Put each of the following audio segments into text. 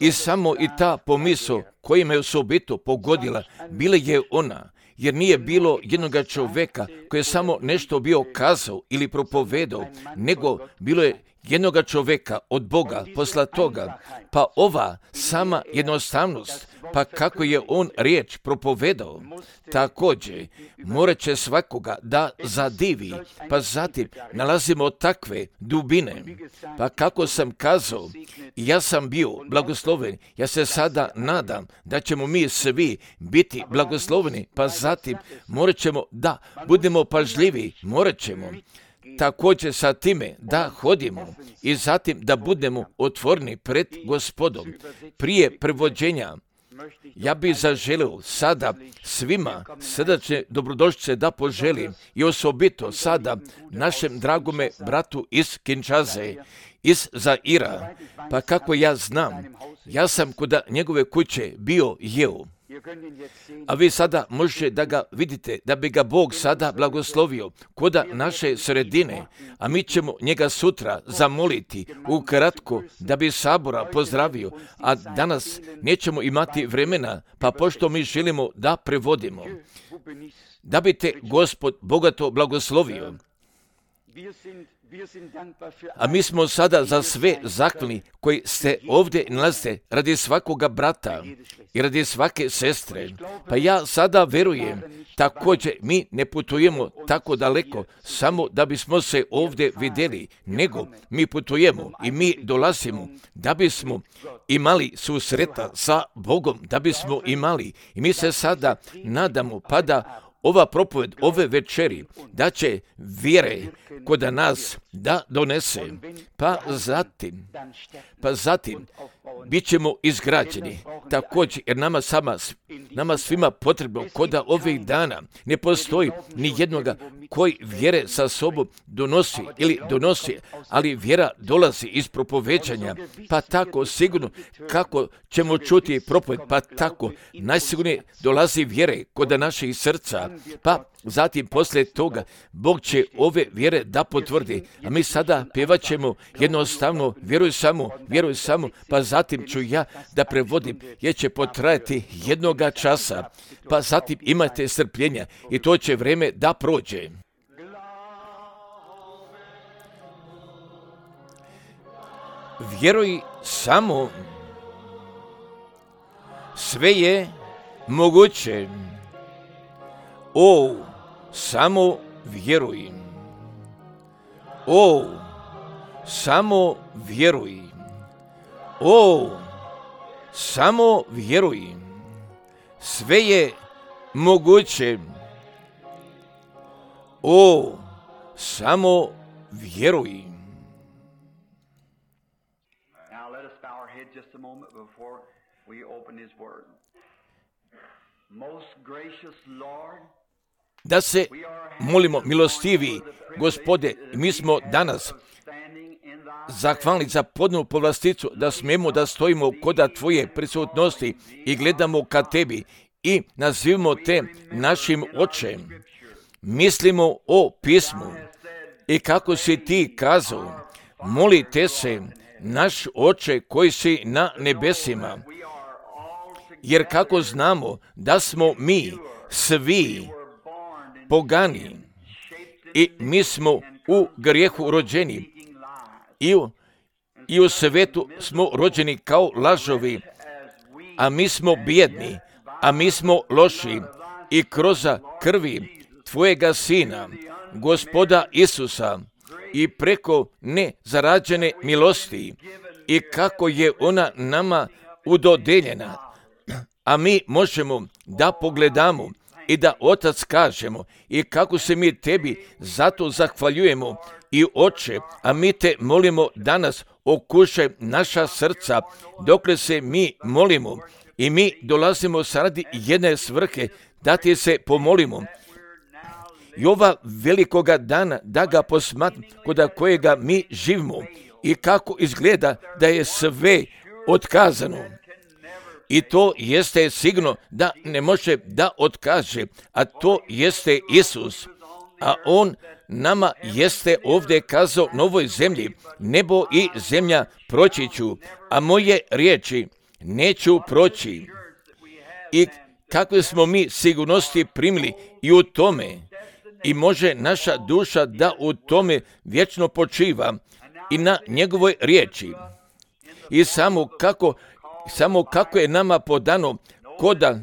I samo i ta pomisao koja me osobito pogodila, bila je ona, jer nije bilo jednoga čovjeka koji je samo nešto bio kazao ili propovedao, nego bilo je jednoga čovjeka od Boga poslatoga, pa ova sama jednostavnost, pa kako je on riječ propovedao, također morat će svakoga da zadivi, pa zatim nalazimo takve dubine. Pa kako sam kazao, ja sam bio blagosloven, ja se sada nadam da ćemo mi svi biti blagosloveni, pa zatim morat ćemo da budemo pažljivi, morat ćemo također sa time da hodimo i zatim da budemo otvoreni pred Gospodom. Prije prevođenja ja bih zaželio sada svima srdačne dobrodošlice da poželim i osobito sada našem dragome bratu iz Kinshase, iz Zaira, pa kako ja znam, ja sam kod njegove kuće bio jeo. A vi sada možete da ga vidite, da bi ga Bog sada blagoslovio kod naše sredine, a mi ćemo njega sutra zamoliti ukratko da bi sabora pozdravio, a danas nećemo imati vremena, pa pošto mi želimo da prevodimo, da bi te Gospod bogato blagoslovio. A mi smo sada za sve zahvalni koji ste ovdje nalazite radi svakoga brata i radi svake sestre. Pa ja sada verujem, također mi ne putujemo tako daleko samo da bismo se ovdje vidjeli, nego mi putujemo i mi dolazimo da bismo imali susreta sa Bogom, da bismo imali. I mi se sada nadamo pa da ova propoved ove večeri da će vjere kod nas da donese, pa zatim bit ćemo izgrađeni. Također, jer nama svima potrebno kod ovih dana ne postoji ni jednoga koji vjere sa sobom donosi, ali vjera dolazi iz propoveđanja, pa tako sigurno kako ćemo čuti propoved, pa tako najsigurnije dolazi vjere kod naših srca, pa zatim poslije toga Bog će ove vjere da potvrdi, a mi sada pjevat ćemo jednostavno vjeruj samo, pa zatim ću ja da prevodim, jer će potrajati jednoga časa, pa zatim imajte strpljenja i to će vrijeme da prođe. Vjeruj samo, sve je moguće. O, samo vjeruj. O, samo vjeruj. O, samo vjeruj. Sve je moguće. O, samo vjeruj. Now let us bow our head just a moment before we open his word. Most gracious Lord, Da se molimo, milostivi Gospode, mi smo danas zahvalni za podnu povlasticu da smijemo da stojimo kod Tvoje prisutnosti i gledamo ka Tebi i nazivamo Te našim Očem. Mislimo o pismu i kako si Ti kazao, molite se, naš Oče koji si na nebesima, jer kako znamo da smo mi svi pogani i mi smo u grijehu rođeni i u svetu smo rođeni kao lažovi, a mi smo bijedni, a mi smo loši i kroz krvi Tvojega Sina, Gospoda Isusa, i preko nezarađene milosti i kako je ona nama udodeljena, a mi možemo da pogledamo i da Otac kažemo i kako se mi Tebi zato zahvaljujemo i Oče, a mi Te molimo danas okušaj naša srca dokle se mi molimo i mi dolazimo radi jedne svrhe da Ti se pomolimo. I ova velikoga dana da ga posmatram kod kojega mi živimo i kako izgleda da je sve otkazano. I to jeste sigurno da ne može da otkaže, a to jeste Isus. a on nama jeste ovdje kazao na ovoj zemlji, nebo i zemlja proći ću, a moje riječi neću proći. I kakve smo mi sigurnosti primili i u tome, i može naša duša da u tome vječno počiva i na njegovoj riječi. I samo kako je nama podano koda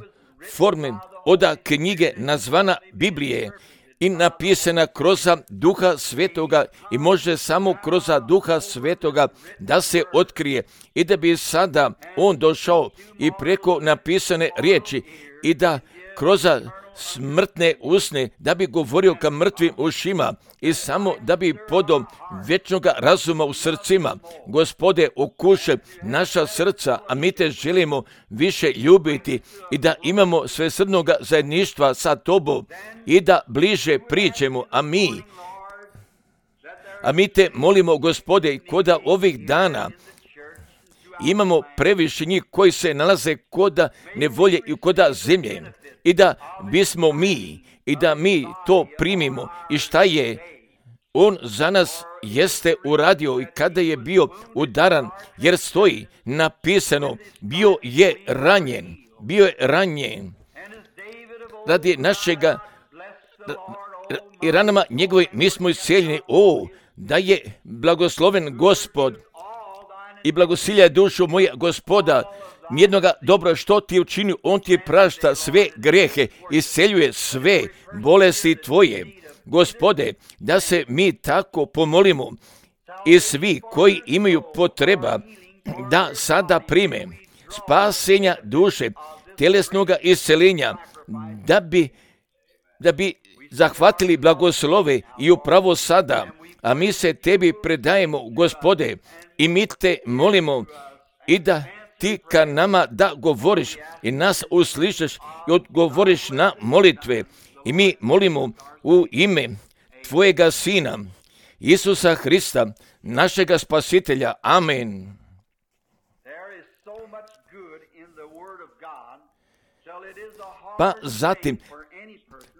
forme oda knjige nazvana Biblije i napisana kroz Duha Svetoga i može samo kroz Duha Svetoga da se otkrije i da bi sada on došao i preko napisane riječi i da kroz smrtne usne da bi govorio ka mrtvim ušima i samo da bi podao vječnoga razuma u srcima. Gospode, okušaj naša srca, a mi te želimo više ljubiti i da imamo svesrdnoga zajedništva sa tobom i da bliže priđemo, a mi te molimo, Gospode, koda ovih dana imamo previše njih koji se nalaze koda nevolje i koda zemlje i da bismo mi i da mi to primimo i šta je on za nas jeste uradio i kada je bio udaran, jer stoji napisano, bio je ranjen radi našega i ranama njegovi mi smo iscijeljeni. Da je blagosloven Gospod i blagosilja dušu moja Gospoda, nijednoga dobro što ti je učinio, on ti prašta sve grijehe, isceljuje sve bolesti tvoje. Gospode, da se mi tako pomolimo i svi koji imaju potreba da sada prime spasenja duše, tjelesnoga isceljenja, da bi zahvatili blagoslove i upravo sada, a mi se tebi predajemo, Gospode, i mi te molimo i da ti ka nama da govoriš i nas uslišaš i odgovoriš na molitve. I mi molimo u ime tvojega Sina, Isusa Hrista, našega Spasitelja. Amen. Pa zatim,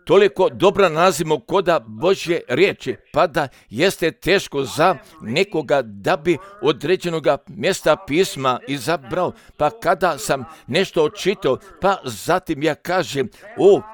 toliko dobra nalazimo koda Božje riječi, pa da jeste teško za nekoga da bi određenoga mjesta pisma izabrao, pa kada sam nešto očitao, pa zatim ja kažem,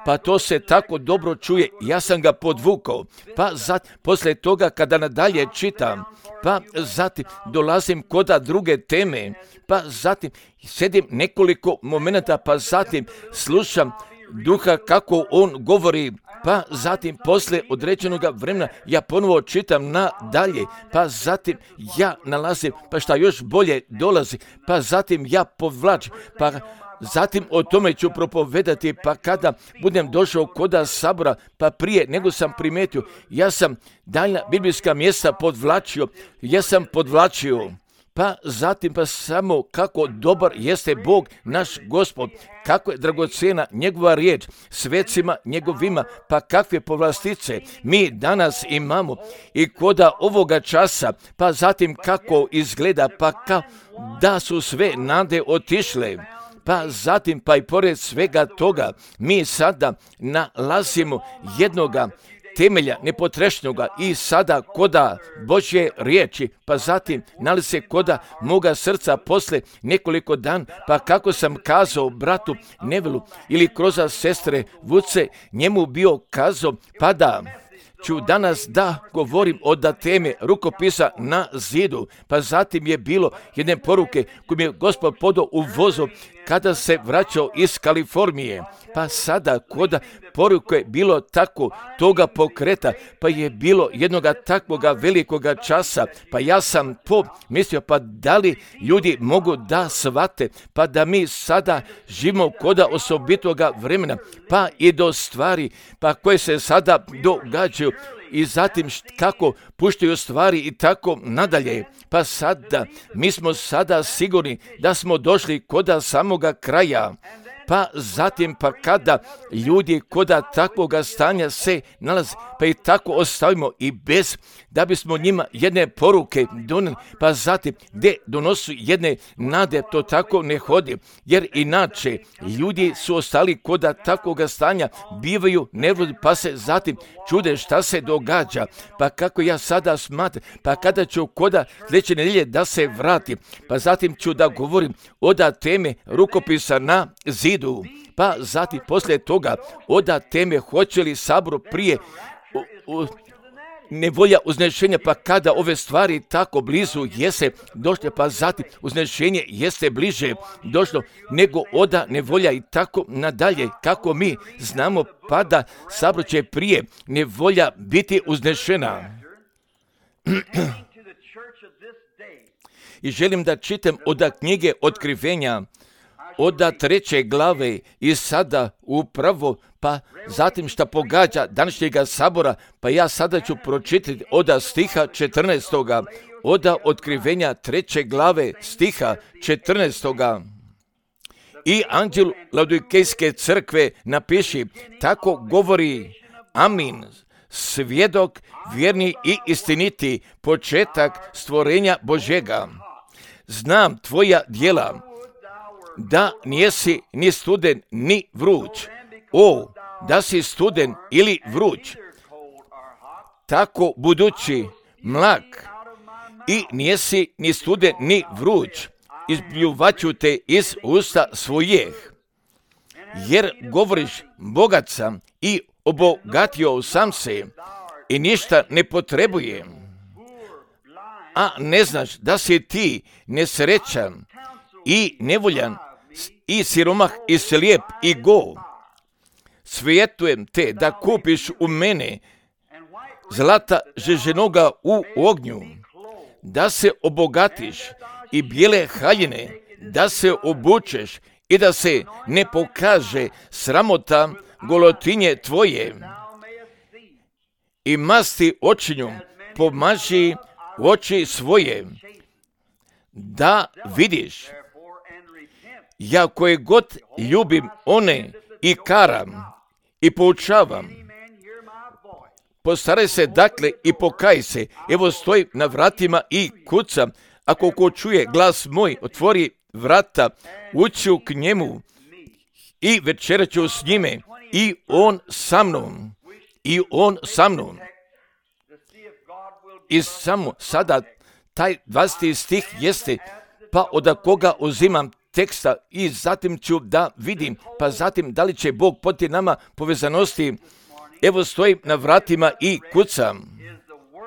pa to se tako dobro čuje, ja sam ga podvukao, pa zatim, poslije toga kada nadalje čitam, pa zatim dolazim koda druge teme, pa zatim sedim nekoliko momenata, pa zatim slušam Duha kako on govori, pa zatim poslije određenog vremena ja ponovo čitam nadalje, pa zatim ja nalazim, pa šta još bolje dolazi, pa zatim ja povlačim, pa zatim o tome ću propovedati, pa kada budem došao koda sabora, pa prije nego sam primetio, ja sam daljna biblijska mjesta podvlačio, pa zatim pa samo kako dobar jeste Bog naš Gospod, kako je dragocjena njegova riječ svecima njegovima, pa kakve povlastice mi danas imamo i koda ovoga časa, pa zatim kako izgleda, pa da su sve nade otišle. Pa zatim, pa i pored svega toga, mi sada nalazimo jednoga temelja nepotrešnoga i sada koda Božje riječi, pa zatim nalazi se koda moga srca posle nekoliko dan, pa kako sam kazao bratu Nevelu ili kroz sestre Vuce, njemu bio kazao, pa da ću danas da govorim o da teme rukopisa na zidu, pa zatim je bilo jedne poruke koju mi je Gospod podao u vozu kada se vraćao iz Kalifornije, pa sada koda poruke bilo tako toga pokreta, pa je bilo jednoga takvoga velikoga časa, pa ja sam mislio, pa da li ljudi mogu da shvate, pa da mi sada živimo koda osobitoga vremena, pa i do stvari, pa koje se sada događaju i zatim kako puštaju stvari i tako nadalje. Pa sada, mi smo sada sigurni da smo došli koda samoga kraja. Pa zatim, pa kada ljudi koda takvoga stanja se nalaze, pa i tako ostavimo i bez da bismo njima jedne poruke donijeli, pa zatim gdje donosu jedne nade, to tako ne hodi, jer inače ljudi su ostali koda takvoga stanja, bivaju nervozni, pa se zatim čude šta se događa, pa kako ja sada smatram, pa kada ću koda sljedeće nedjelje da se vratim, pa zatim ću da govorim oda teme rukopisa na zidu, pa zatim poslije toga oda teme hoće li sabor prije nevolja uznešenja, pa kada ove stvari tako blizu jeste došle, pa zatim uznešenje jeste bliže došlo nego oda nevolja i tako nadalje, kako mi znamo, pa da sabor će prije nevolja biti uznešena. I želim da čitam od knjige Otkrivenja, od 3. glave i sada upravo, pa zatim šta pogađa današnjega sabora, pa ja sada ću pročitati od stiha 14. od Otkrivenja 3. glave stiha 14. I anđelu Laodikejske crkve napiši, tako govori Amin, svjedok, vjerni i istiniti, početak stvorenja Božjega. Znam tvoja djela, da nijesi ni studen ni vruć. O, da si studen ili vruć, tako budući mlak i nijesi ni studen ni vruć, izpljuvaću te iz usta svojih. Jer govoriš bogat sam i obogatio sam se i ništa ne potrebujem, a ne znaš da si ti nesrećan i nevoljan i siromah i slijep i go. Savjetujem te da kupiš u mene zlata žeženoga u ognju, da se obogatiš i bijele haljine, da se obučeš i da se ne pokaže sramota golotinje tvoje. I masti očinjom pomaži oči svoje, da vidiš. Ja koje god ljubim one i karam i poučavam. Postaraj se dakle i pokaj se. Evo stojim na vratima i kucam. Ako ko čuje glas moj, otvori vrata, uću k njemu i večeraću s njime i on sa mnom. I on sa mnom. I samo sada taj 20. stih jeste, pa od koga uzimam teksta i zatim ću da vidim, pa zatim da li će Bog podnijeti nama povezanosti. Evo stojim na vratima i kucam.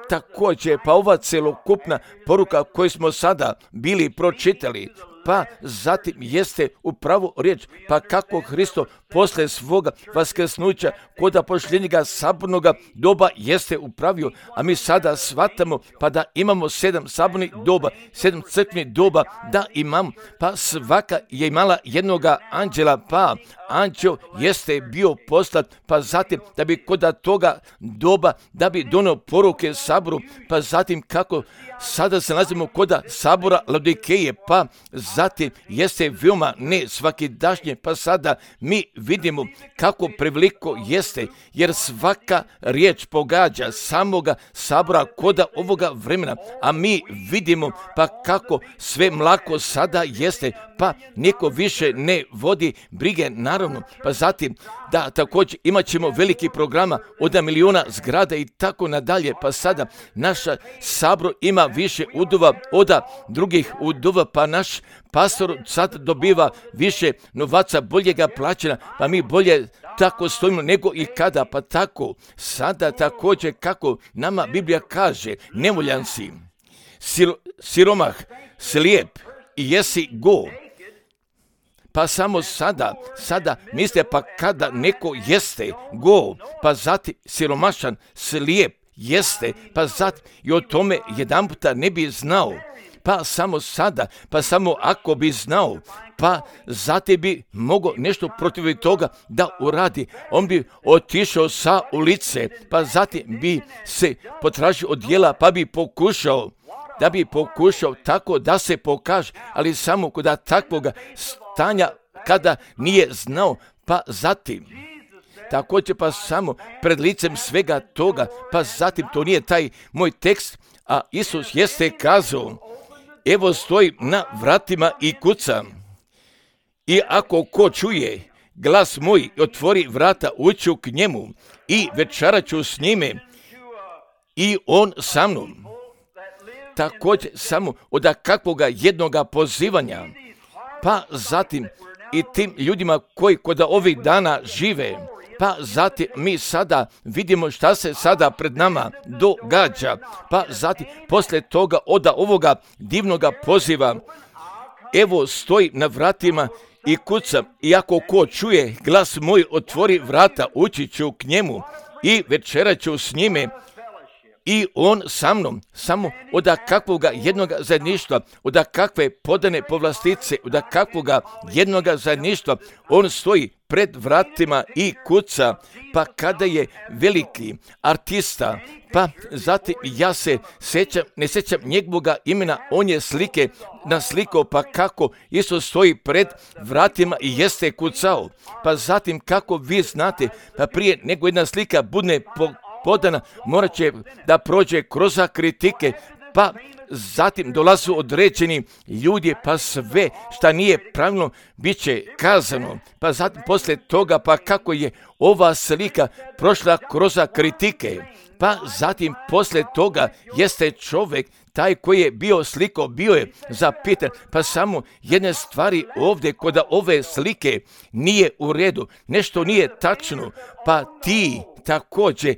Također, pa ova celokupna poruka koju smo sada bili pročitali, pa zatim jeste upravo riječ, pa kako Hristo posle svoga vaskrsnuća koda pošljenjega sabornoga doba jeste upravio, a mi sada shvatamo pa da imamo 7 sabornih doba, 7 crkvenih doba, da imamo, pa svaka je imala jednoga anđela, pa anđel jeste bio poslat, pa zatim da bi koda toga doba, da bi donio poruke saboru, pa zatim kako sada se nalazimo koda sabora Laodikeje, pa zatim jeste veoma ne svakidašnje, pa sada mi vidimo kako preveliko jeste, jer svaka riječ pogađa samoga sabora koda ovoga vremena, a mi vidimo pa kako sve mlako sada jeste, pa niko više ne vodi brige, naravno, pa zatim da također imat ćemo veliki programa od miliona zgrada i tako nadalje, pa sada naša sabor ima više udova od drugih udova, pa naš pastor sad dobiva više novaca, boljega plaćena, pa mi bolje tako stojimo nego i kada, pa tako sada također kako nama Biblija kaže, nevoljan si, siromah, slijep i jesi go. Pa samo sada mislite, pa kada neko jeste go, pa zatim siromašan, slijep jeste, pa zatim i o tome jedan puta ne bi znao, pa samo sada, pa samo ako bi znao, pa zatim bi mogao nešto protiv toga da uradi, on bi otišao sa ulice, pa zatim bi se potražio od djela, pa bi pokušao, da bi pokušao tako da se pokaže, ali samo kod takvoga stanja kada nije znao, pa zatim također pa samo pred licem svega toga, pa zatim to nije taj moj tekst, a Isus jeste kazao, evo stoji na vratima i kucam. I ako ko čuje glas moj i otvori vrata, uću k njemu i večerat ću s njime i on sa mnom. Također samo od kakvoga jednoga pozivanja, pa zatim i tim ljudima koji kod ovih dana žive, pa zatim mi sada vidimo šta se sada pred nama događa, pa zatim poslije toga od ovoga divnoga poziva, evo stoji na vratima i kucam, i ako ko čuje glas moj, otvori vrata, ući ću k njemu i večerat ću s njime i on sa mnom. Samo od kakvoga jednoga zajedništva, od kakve podane povlastice, od kakvoga jednoga zajedništva on stoji pred vratima i kuca, pa kada je veliki artista, pa zatim ja se ne sjećam njegovoga imena, on je slike naslikao, pa kako Isus stoji pred vratima i jeste kucao, pa zatim kako vi znate, pa prije nego jedna slika bude podana, morat će da prođe kroz kritike, pa zatim dolazu određeni ljudi, pa sve šta nije pravilno bit će kazano, pa zatim poslije toga, pa kako je ova slika prošla kroz kritike, pa zatim poslije toga jeste čovjek taj koji je bio sliko, bio je zapitan, pa samo jedne stvari ovdje kod ove slike nije u redu, nešto nije tačno, pa ti također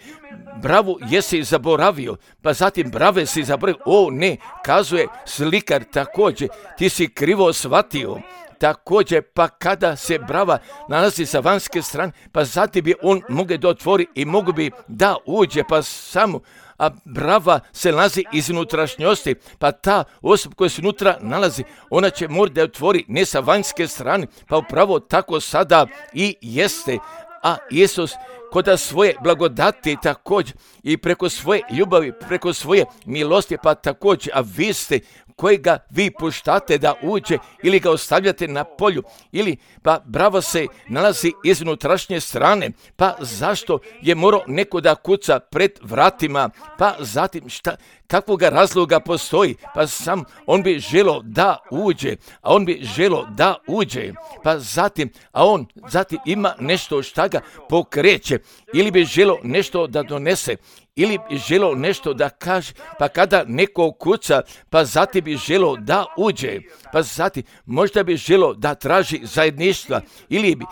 bravu jesi zaboravio, pa zatim brave si zaboravio, o ne, kazuje slikar također, ti si krivo shvatio. Također, pa kada se brava nalazi sa vanjske strane, pa zatim bi on mogao da otvori i mogu bi da uđe, pa samo, a brava se nalazi iz unutrašnjosti, pa ta osoba koja se unutra nalazi, ona će morati da otvori ne sa vanjske strane, pa upravo tako sada i jeste, a Isus kod svoje blagodati također i preko svoje ljubavi, preko svoje milosti, pa također, a vi ste kojega vi puštate da uđe ili ga ostavljate na polju, ili pa brava se nalazi iz unutrašnje strane, pa zašto je morao neko da kuca pred vratima, pa zatim kakvoga razloga postoji, pa sam on bi želio da uđe, a on bi želio da uđe, pa zatim, a on zatim ima nešto šta ga pokreće, ili bi želio nešto da donese, ili bi želio nešto da kaže, pa kada neko kuca, pa zatim bi želio da uđe, pa zatim možda bi želio da traži zajedništva, ili bi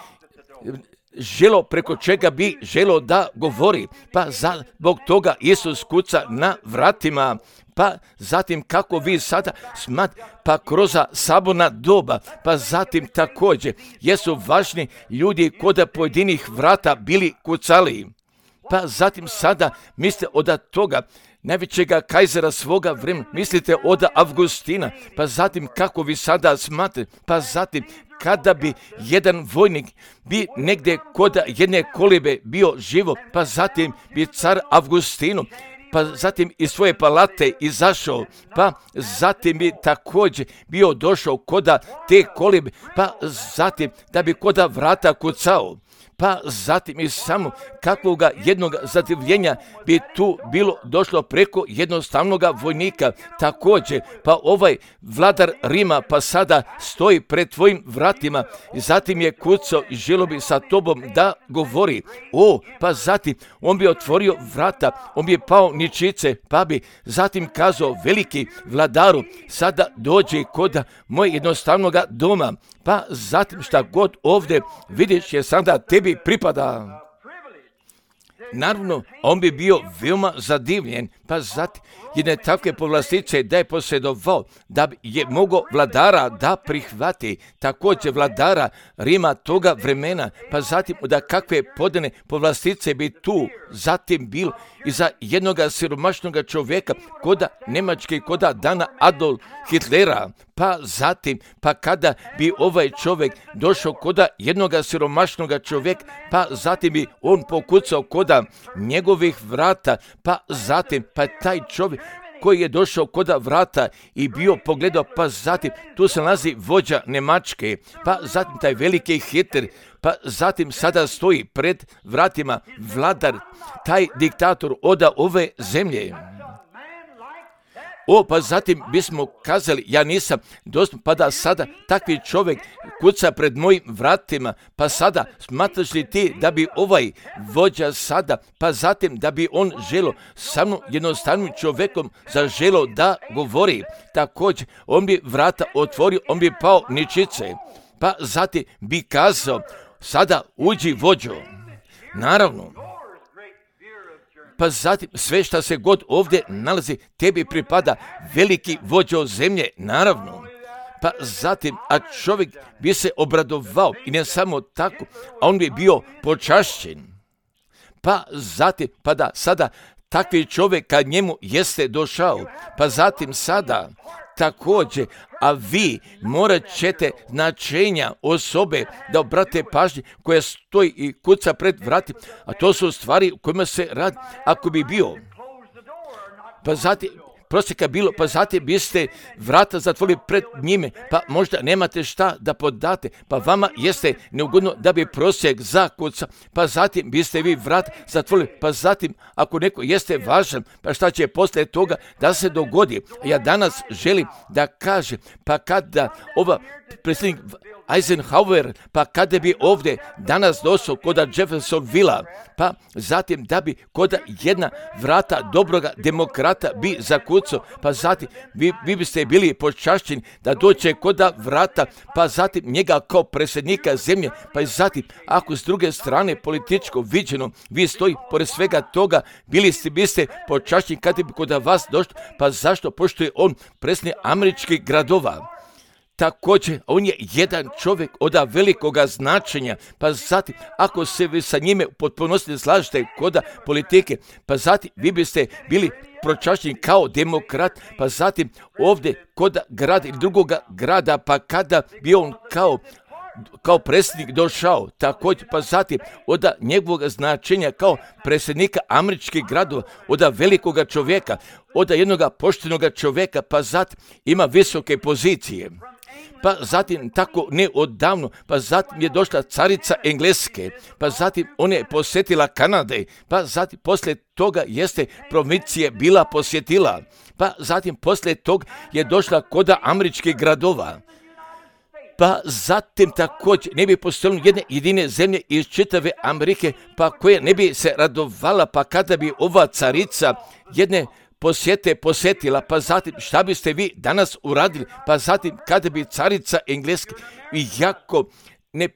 želio preko čega bi želio da govori, pa zbog toga Isus kuca na vratima, pa zatim kako vi sada pa kroz saborna doba, pa zatim također jesu važni ljudi kod pojedinih vrata bili kucali, pa zatim sada mislite od toga najvećega kajzera svoga vremena, mislite od Avgustina, pa zatim kako vi sada smatrate, pa zatim kada bi jedan vojnik bi negdje kod jedne kolibe bio živo, pa zatim bi car Avgustinu, pa zatim iz svoje palate izašao, pa zatim bi također bio došao kod te kolibe, pa zatim da bi kod vrata kucao, pa zatim i samo kakvoga jednog zadivljenja bi tu bilo došlo preko jednostavnog vojnika. Također, pa ovaj vladar Rima pa sada stoji pred tvojim vratima i zatim je kucao i želio bi sa tobom da govori. Pa zatim on bi otvorio vrata, on bi pao ničice, pa bi zatim kazao veliki vladaru, sada dođi kod moj jednostavnog doma, pa zatim šta god ovdje vidiš je sada tebi pripada. Naravno, on bi bio veoma zadivljen, pa zatim jedne takve povlastice da je posjedovao, da je mogao vladara da prihvati, također vladara Rima toga vremena, pa zatim da kakve podane povlastice bi tu zatim bilo i za jednoga siromašnog čovjeka koda Njemačke, koda dana Adolf Hitlera, pa zatim, pa kada bi ovaj čovjek došao koda jednoga siromašnog čovjeka, pa zatim bi on pokucao koda njegovih vrata, pa zatim, pa taj čovjek koji je došao koda vrata i bio pogledao, pa zatim tu se nalazi vođa Nemačke, pa zatim taj veliki Hitler, pa zatim sada stoji pred vratima vladar, taj diktator oda ove zemlje. Pa zatim bismo kazali, ja nisam dostupan, pa da sada takvi čovjek kuca pred mojim vratima, pa sada smatraš li ti da bi ovaj vođa sada, pa zatim da bi on želo sa mnom jednostavnim čovjekom zaželo da govori, također on bi vrata otvorio, on bi pao ničice, pa zatim bi kazao, sada uđi vođo. Naravno, pa zatim sve što se god ovdje nalazi, tebi pripada veliki vođo zemlje, naravno. Pa zatim, a čovjek bi se obradovao i ne samo tako, a on bi bio počašćen. Pa zatim, pa da sada takvi čovjek kad njemu jeste došao, pa zatim sada također, a vi morat ćete značenja osobe da obrate pažnje koja stoji i kuca pred vratima, a to su stvari u kojima se radi. Ako bi bio, pa zatim, prosjeka bilo, pa zatim biste vrata zatvorili pred njime, pa možda nemate šta da podate, pa vama jeste neugodno da bi prosjek zakuca, pa zatim biste vi vrat zatvorili, pa zatim ako neko jeste važan, pa šta će poslije toga da se dogodi. Ja danas želim da kažem, pa kada ova predsjednik Eisenhower, pa kada bi ovdje danas došao koda Jeffersonvilla, pa zatim da bi koda jedna vrata dobroga demokrata bi zakucao, pa zatim vi biste bili počašćeni da dođe koda vrata, pa zatim njega kao predsjednika zemlje, pa i zatim ako s druge strane političko viđeno vi stoji pored svega toga, biste počašćeni kada bi koda vas došlo, pa zašto? Pošto je on predsjednik američkih gradova. Također, on je jedan čovjek od velikoga značenja, pa zatim, ako se vi sa njime u potpunosti slažete koda politike, pa zatim vi biste bili počašćeni kao demokrat, pa zatim ovdje koda grada ili drugoga grada, pa kada bi on kao predsjednik došao, također, pa zatim od njegovog značenja kao predsjednika američkih gradova, od velikoga čovjeka, od jednog poštenog čovjeka, pa zatim ima visoke pozicije. Pa zatim tako neodavno, pa zatim je došla carica Engleske, pa zatim ona je posjetila Kanade, pa zatim poslije toga jeste provincije bila posjetila, pa zatim poslije toga je došla koda američkih gradova. Pa zatim također ne bi postojalo jedne jedine zemlje iz čitave Amerike, pa koje ne bi se radovala, pa kada bi ova carica jedne posjetila, pa zatim šta biste vi danas uradili, pa zatim kada bi carica Engleske, iako ne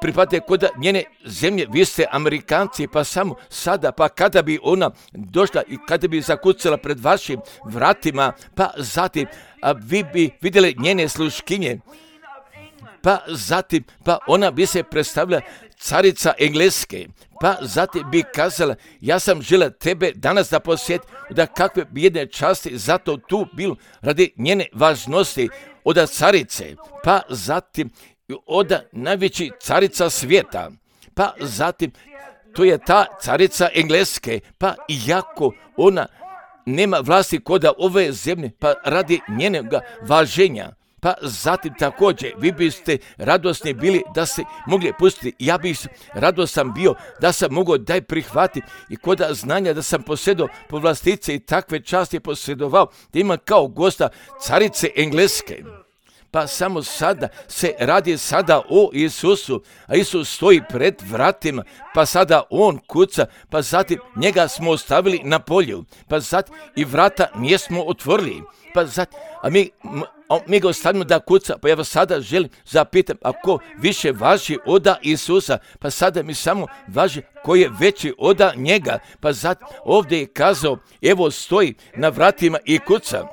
pripadate kod njene zemlje, vi ste Amerikanci, pa samo sada, pa kada bi ona došla i kada bi zakucala pred vašim vratima, pa zatim vi bi vidjeli njene sluškinje, pa zatim, pa ona bi se predstavila carica Engleske, pa zatim bi kazala, ja sam žela tebe danas da posjeti, da kakve bi jedne časti zato tu bilo radi njene važnosti od carice, pa zatim od najveći carica svijeta, pa zatim to je ta carica Engleske, pa iako ona nema vlasti koda ove zemlje, pa radi njenog važenja, pa zatim također vi biste radosni bili da se mogli pustiti. Ja bih radostan bio da sam mogao daj prihvatiti i kod znanja da sam posjedao povlastice i takve časti posjedovao da ima kao gosta carice Engleske. Pa samo sada se radi sada o Isusu, a Isus stoji pred vratima, pa sada on kuca, pa zatim njega smo ostavili na polju, pa zatim i vrata nijesmo otvorili, pa zatim, a mi ga ostavimo da kuca, pa ja vas sada želim zapitam, a ko više važi oda Isusa, pa sada mi samo važi ko je veći oda njega, pa zatim ovdje je kazao, evo stoji na vratima i kuca.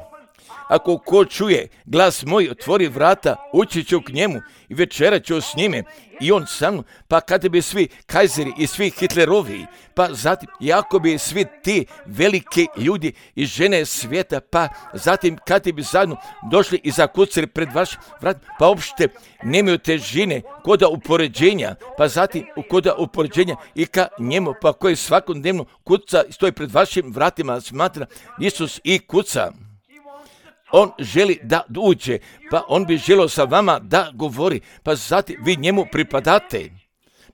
ako ko čuje glas moj, otvori vrata, ući ću k njemu i večerat ću s njime i on sa mnom. Pa kada bi svi kajzeri i svi Hitlerovi, pa zatim jako bi svi ti veliki ljudi i žene svijeta, pa zatim kada bi zajedno došli i zakucali pred vaš vrat, pa uopšte nemaju težine koda upoređenja, pa zatim koda upoređenja i ka njemu, pa koji svakodnevno kuca i stoji pred vašim vratima, smatra Isus i kuca. On želi da uđe, pa on bi želio sa vama da govori, pa zatim vi njemu pripadate,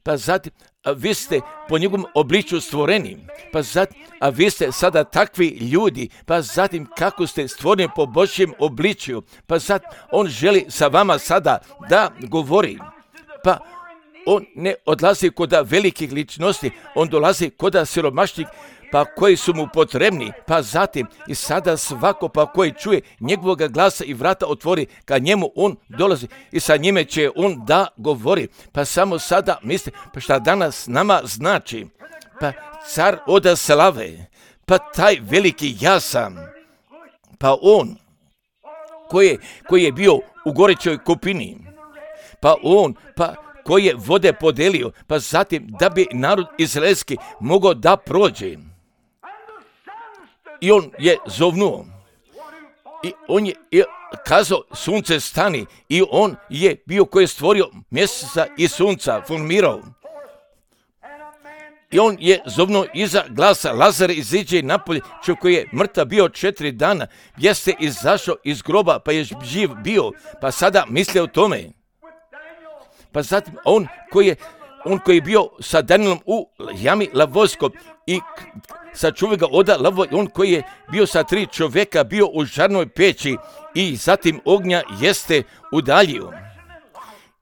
pa zatim vi ste po njegovom obličju stvoreni, pa zatim, a vi ste sada takvi ljudi, pa zatim kako ste stvoreni po Božjem obličju, pa zatim on želi sa vama sada da govori, pa on ne odlazi kod velikih ličnosti, on dolazi kod siromašnih, pa koji su mu potrebni, pa zatim i sada svako pa koji čuje njegovog glasa i vrata otvori, ka njemu on dolazi i sa njime će on da govori. Pa samo sada misli, pa šta danas nama znači, pa car od slave, pa taj veliki ja sam, pa on koji je bio u gorećoj kupini, pa on, pa koji je vode podelio, pa zatim da bi narod izraelski mogao da prođe. I on je zovnuo i on je kazao sunce stani i on je bio koji je stvorio mjeseca i sunca, formirao. I on je zovnuo iza glasa Lazare iziđe napolje, čovjek koji je mrtav bio 4 dana, jeste izašao iz groba pa je živ bio, pa sada misle o tome. Pa zatim on koji je bio sa Danielom u jami lavojskoj i sačuva ga od lavo, on koji je bio sa 3 čovjeka, bio u žarnoj peći i zatim ognja jeste udaljio.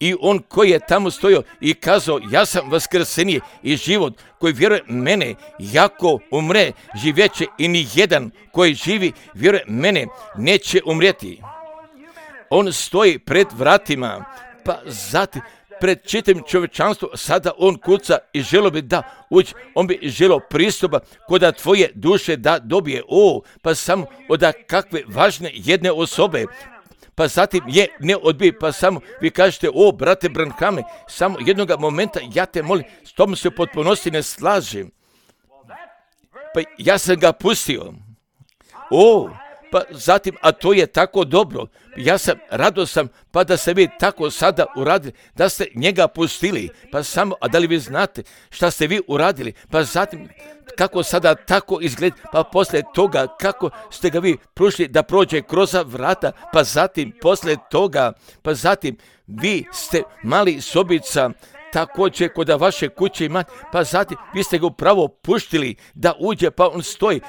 I on koji je tamo stojao i kazao, ja sam vaskrsenje i život, koji vjeruje mene, jako umre, živjeće i ni jedan koji živi, vjeruje mene, neće umrijeti. On stoji pred vratima, pa zatim pred čitavim čovječanstvom, sada on kuca i želio bi da uđe, on bi želio pristupa kod tvoje duše da dobije, pa samo od kakve važne jedne osobe, pa zatim je ne odbije, pa samo vi kažete, brate Branhame, samo jednog momenta, ja te molim, s tom se u potpunosti ne slažem, pa ja sam ga pustio, pa zatim, a to je tako dobro, ja sam radostan, pa da ste vi tako sada uradili, da ste njega pustili, pa samo, a da li vi znate šta ste vi uradili, pa zatim, kako sada tako izgleda, pa poslije toga, kako ste ga vi prošli da prođe kroz vrata, pa zatim, poslije toga, pa zatim, vi ste mali sobica, također kod vaše kuće imate, pa zatim, vi ste ga upravo puštili da uđe, pa on stoji,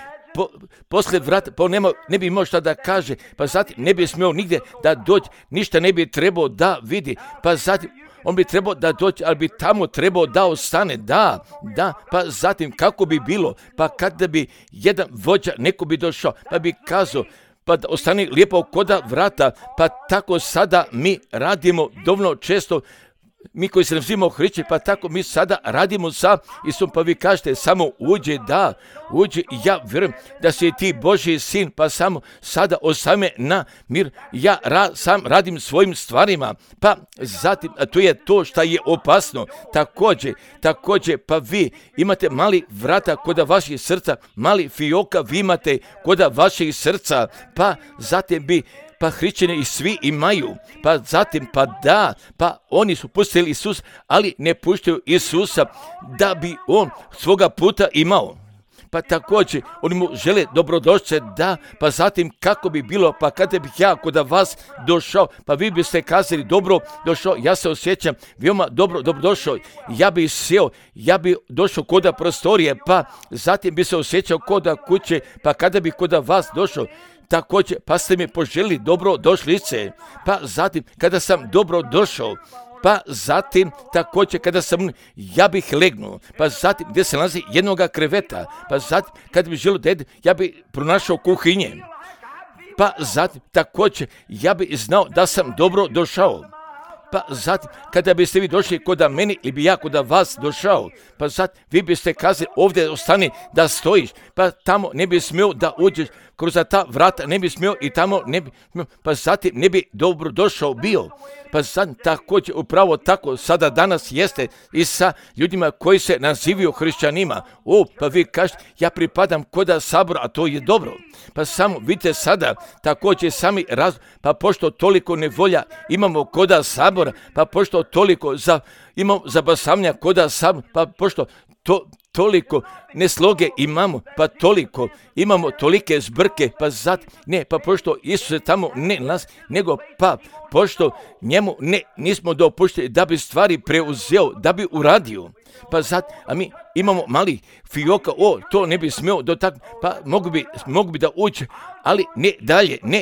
poslije vrata, pa on ne bi imao šta da kaže, pa zatim ne bi smio nigdje da dođe, ništa ne bi trebao da vidi, pa zatim on bi trebao da dođe, ali bi tamo trebao da ostane, da, pa zatim kako bi bilo, pa kada bi jedan vođa, neko bi došao, pa bi kazao, pa da ostane lijepo kod vrata, pa tako sada mi radimo dovoljno često, mi koji se nazivamo hrišćani, pa tako mi sada radimo sa Isusom, pa vi kažete samo uđi, ja vjerujem da si ti Božji sin, pa samo sada osame na mir, ja sam radim svojim stvarima, pa zatim, a to je to što je opasno, također, pa vi imate mali vrata kod vaših srca, mali fioka vi imate kod vaših srca, pa zatim bi pa hrišćani i svi imaju, pa zatim, pa oni su pustili Isus, ali ne puštaju Isusa da bi on svoga puta imao. Pa također, oni mu žele dobrodošće, pa zatim kako bi bilo, pa kada bih ja kod vas došao, pa vi biste kazali dobro došao, ja se osjećam veoma dobro došao, ja bi sjeo, ja bi došao kod prostorije, pa zatim bi se osjećao kod kuće, pa kada bi kod vas došao, također, pa ste mi poželjeli dobro došlice, pa zatim kada sam dobro došao, pa zatim također kada sam, ja bih legnuo, pa zatim gdje se nalazi jednoga kreveta, pa zatim kada bih želio da jedem, ja bih pronašao kuhinje, pa zatim također ja bih znao da sam dobro došao, Pa zatim, kada biste vi došli kod meni ili bi ja kod vas došao, pa zatim vi biste kazali ovdje ostani da stojiš, pa tamo ne bi smio da uđeš, kroz ta vrata ne bi smio i tamo ne bi smio, pa zatim ne bi dobro došao bio. Pa zatim također upravo tako sada danas jeste i sa ljudima koji se nazivaju hrišćanima. Pa vi kažete ja pripadam kod sabora, a to je dobro. Pa samo vidite sada također sami pa pošto toliko nevolja imamo kod sabora, pa pošto toliko imamo zabasavanja kod sabora, pa pošto toliko nesloge imamo, pa toliko imamo tolike zbrke, pa pa pošto Isus se tamo ne nas, nego pa pošto njemu nismo dopušteni da bi stvari preuzeo, da bi uradio. Pa a mi imamo mali fioka, to ne bi smio dotaknuti, pa mogu bi da uđe, ali ne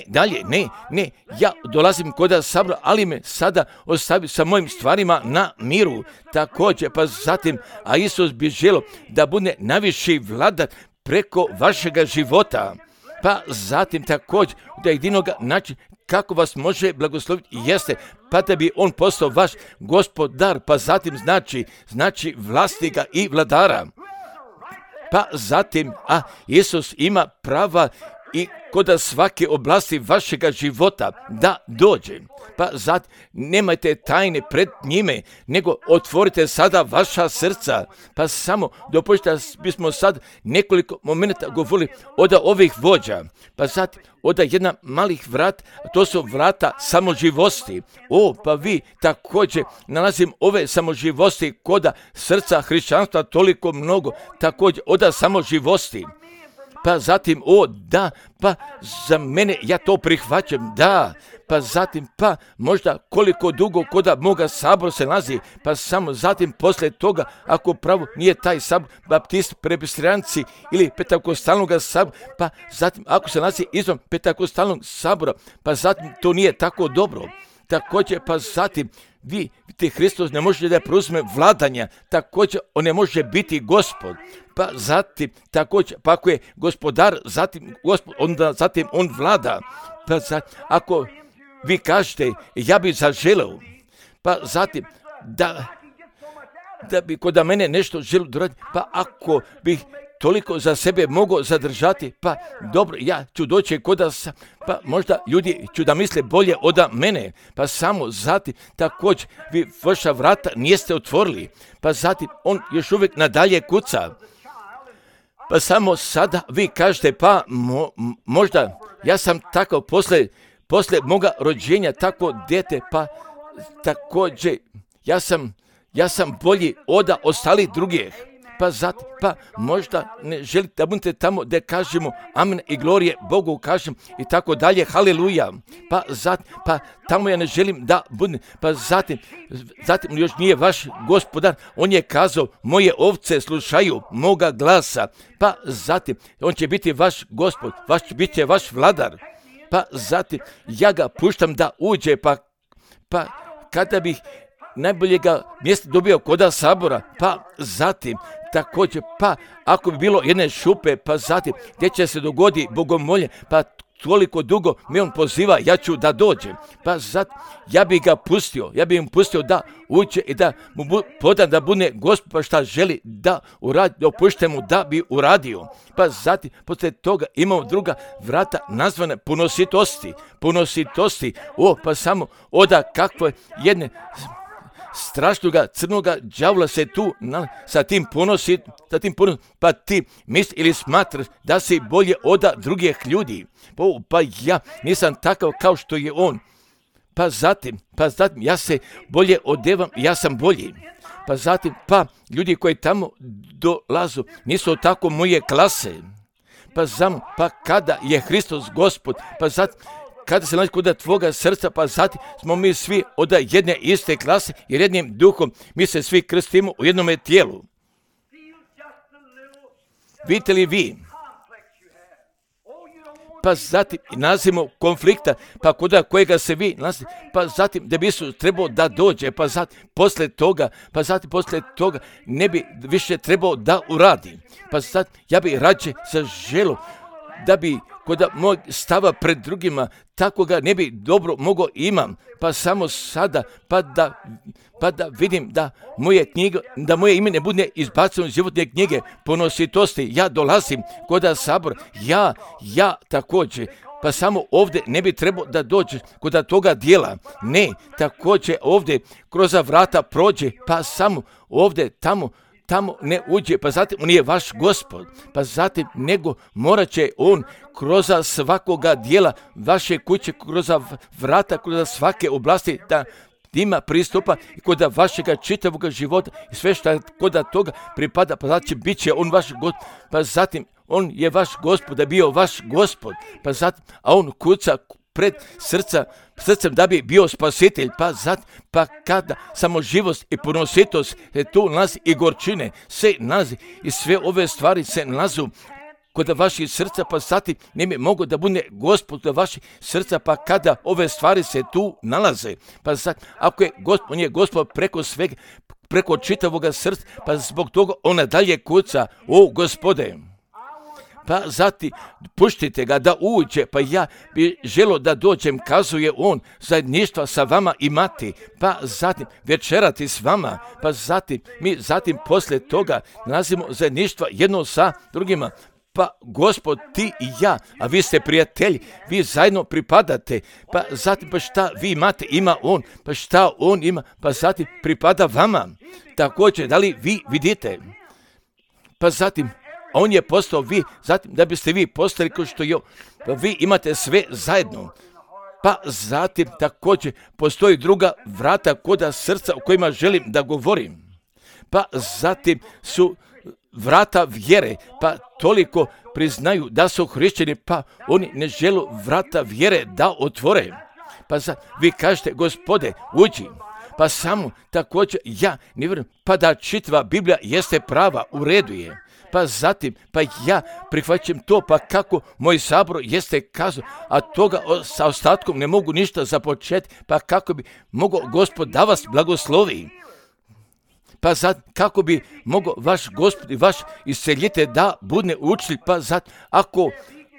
dalje, ne, ja dolazim kod sabora, ali me sada ostavi sa mojim stvarima na miru. Također, pa zatim, a Isus bi želio da bude najviši vladar preko vašega života. Pa zatim također, da jedinoga način kako vas može blagosloviti jeste, pa da bi on postao vaš gospodar, pa zatim znači vlasnika i vladara. Pa zatim, Isus ima prava i kod svake oblasti vašega života da dođe. Pa zatim, nemajte tajne pred njime, nego otvorite sada vaša srca. Pa samo dopustite da bismo sad nekoliko momenta govorili od ovih vođa. Pa zatim, od jedna malih vrata, to su vrata samoživosti. Pa vi također nalazim ove samoživosti kod srca hrišćanstva toliko mnogo, također od samoživosti. Pa zatim, da, pa za mene ja to prihvaćam, da, pa zatim, pa možda koliko dugo kod moga sabora se nalazi, pa samo zatim poslije toga, ako pravo nije taj sabor, baptist, presbiteranci ili pentakostalnog sabora, pa zatim ako se nalazi izvan pentakostalnog sabora, pa zatim to nije tako dobro. Također, pa zatim, vidite, Hristos ne može da preuzme vladanja, također on ne može biti gospod. Pa zatim, također, pa ako je gospodar, zatim on vlada. Pa zatim, ako vi kažete, ja bi zaželeo, pa zatim, da bi kod mene nešto želio doraditi, pa ako bih toliko za sebe mogao zadržati, pa dobro, ja ću doći pa možda ljudi ću da misle bolje od mene, pa samo zatim također vi vaša vrata niste otvorili, pa zatim on još uvijek nadalje kuca. Pa samo sada vi kažete, pa možda ja sam takav posle moga rođenja, tako dete, pa također ja sam bolji od ostalih drugih. Pa zatim, pa možda ne želite da budete tamo da kažemo amen i glorije Bogu kažem i tako dalje, haleluja. Pa zatim, pa tamo ja ne želim da budem, pa zatim još nije vaš gospodar, on je kazao moje ovce slušaju moga glasa, pa zatim on će biti vaš gospod, bit će vaš vladar, pa zatim ja ga puštam da uđe, pa kada bih najboljega mjesta dobio kod sabora, pa zatim također, pa ako bi bilo jedne šupe, pa zatim gdje će se dogodi bogomolje, pa toliko dugo me on poziva, ja ću da dođem, pa zatim ja bih im pustio da uđe i da mu podam da bude gospod, pa šta želi da uradi, dopušte mu da bi uradio. Pa zatim, poslije toga imamo druga vrata nazvane punositosti, pa samo oda kakve jedne strašnoga crnoga đavla se tu sa tim ponosi, pa ti misli ili smatraš da si bolje od drugih ljudi. Pa ja nisam takav kao što je on. Pa zatim ja se bolje odevam, ja sam bolji. Pa zatim, pa ljudi koji tamo dolazu nisu tako moje klase. Pa kada je Hristos Gospod, pa zatim kada se nalazi kod tvoga srca, pa zatim smo mi svi od jedne iste klase i jednim duhom, mi se svi krstimo u jednome tijelu. Vidite li vi? Pa zatim nalazimo konflikta, pa kod kojega se vi nalazite, pa zatim da bi Isus trebao da dođe, pa zatim poslije toga ne bi više trebao da uradi. Pa zatim ja bi rađe zaželio da bi kod mog stava pred drugima, tako ga ne bi dobro mogao imam, pa samo sada, pa da vidim da moje ime ne bude izbaceno iz životne knjige ponositosti. Ja dolazim kod sabor, ja također, pa samo ovdje ne bi trebao da dođe kod toga dijela. Ne, također ovdje kroz vrata prođe, pa samo ovdje, tamo ne uđe, pa zatim on je vaš Gospod, pa zatim nego morat će on kroz svakoga dijela vaše kuće, kroz vrata, kroz svake oblasti da ima pristupa i kod vašega čitavog života i sve što kod toga pripada, pa zatim bit će on vaš Gospod, pa zatim on je vaš Gospod, da bio vaš Gospod, pa zatim, a on kuca pred srcem da bi bio spasitelj, pa kada samo živost i ponositost tu nalazi i gorčine, se nalazi i sve ove stvari se nalazu kod vaših srca, pa zatim ne bi mogo da bude Gospod kod vaših srca, pa kada ove stvari se tu nalaze, pa zatim, ako je Gospod, on je Gospod preko svega, preko čitavoga srca, pa zbog toga ona dalje kuca, o Gospode, pa zatim puštite ga da uđe, pa ja bi želio da dođem, kazuje on, zajedništva sa vama imati, pa zatim večerati s vama, pa zatim mi poslije toga nalazimo zajedništva jedno sa drugima, pa Gospod, ti i ja, a vi ste prijatelji, vi zajedno pripadate, pa zatim pa šta vi imate, ima on, pa šta on ima, pa zatim pripada vama, također, da li vi vidite, pa zatim on je postao vi, zatim da biste vi postali kao što je, pa vi imate sve zajedno. Pa zatim također postoji druga vrata kod srca o kojima želim da govorim. Pa zatim su vrata vjere, pa toliko priznaju da su hrišćani, pa oni ne žele vrata vjere da otvore. Pa vi kažete, Gospode, uđi. Pa samo također ja ne vjerujem, pa da čitava Biblija jeste prava, u redu je. Pa zatim, pa ja prihvaćam to, pa kako moj sabor jeste kazao, a toga sa ostatkom ne mogu ništa započeti, pa kako bi mogao Gospod da vas blagoslovi. Pa kako bi mogao vaš Gospod i vaš isceljitelj da bude učitelj, pa ako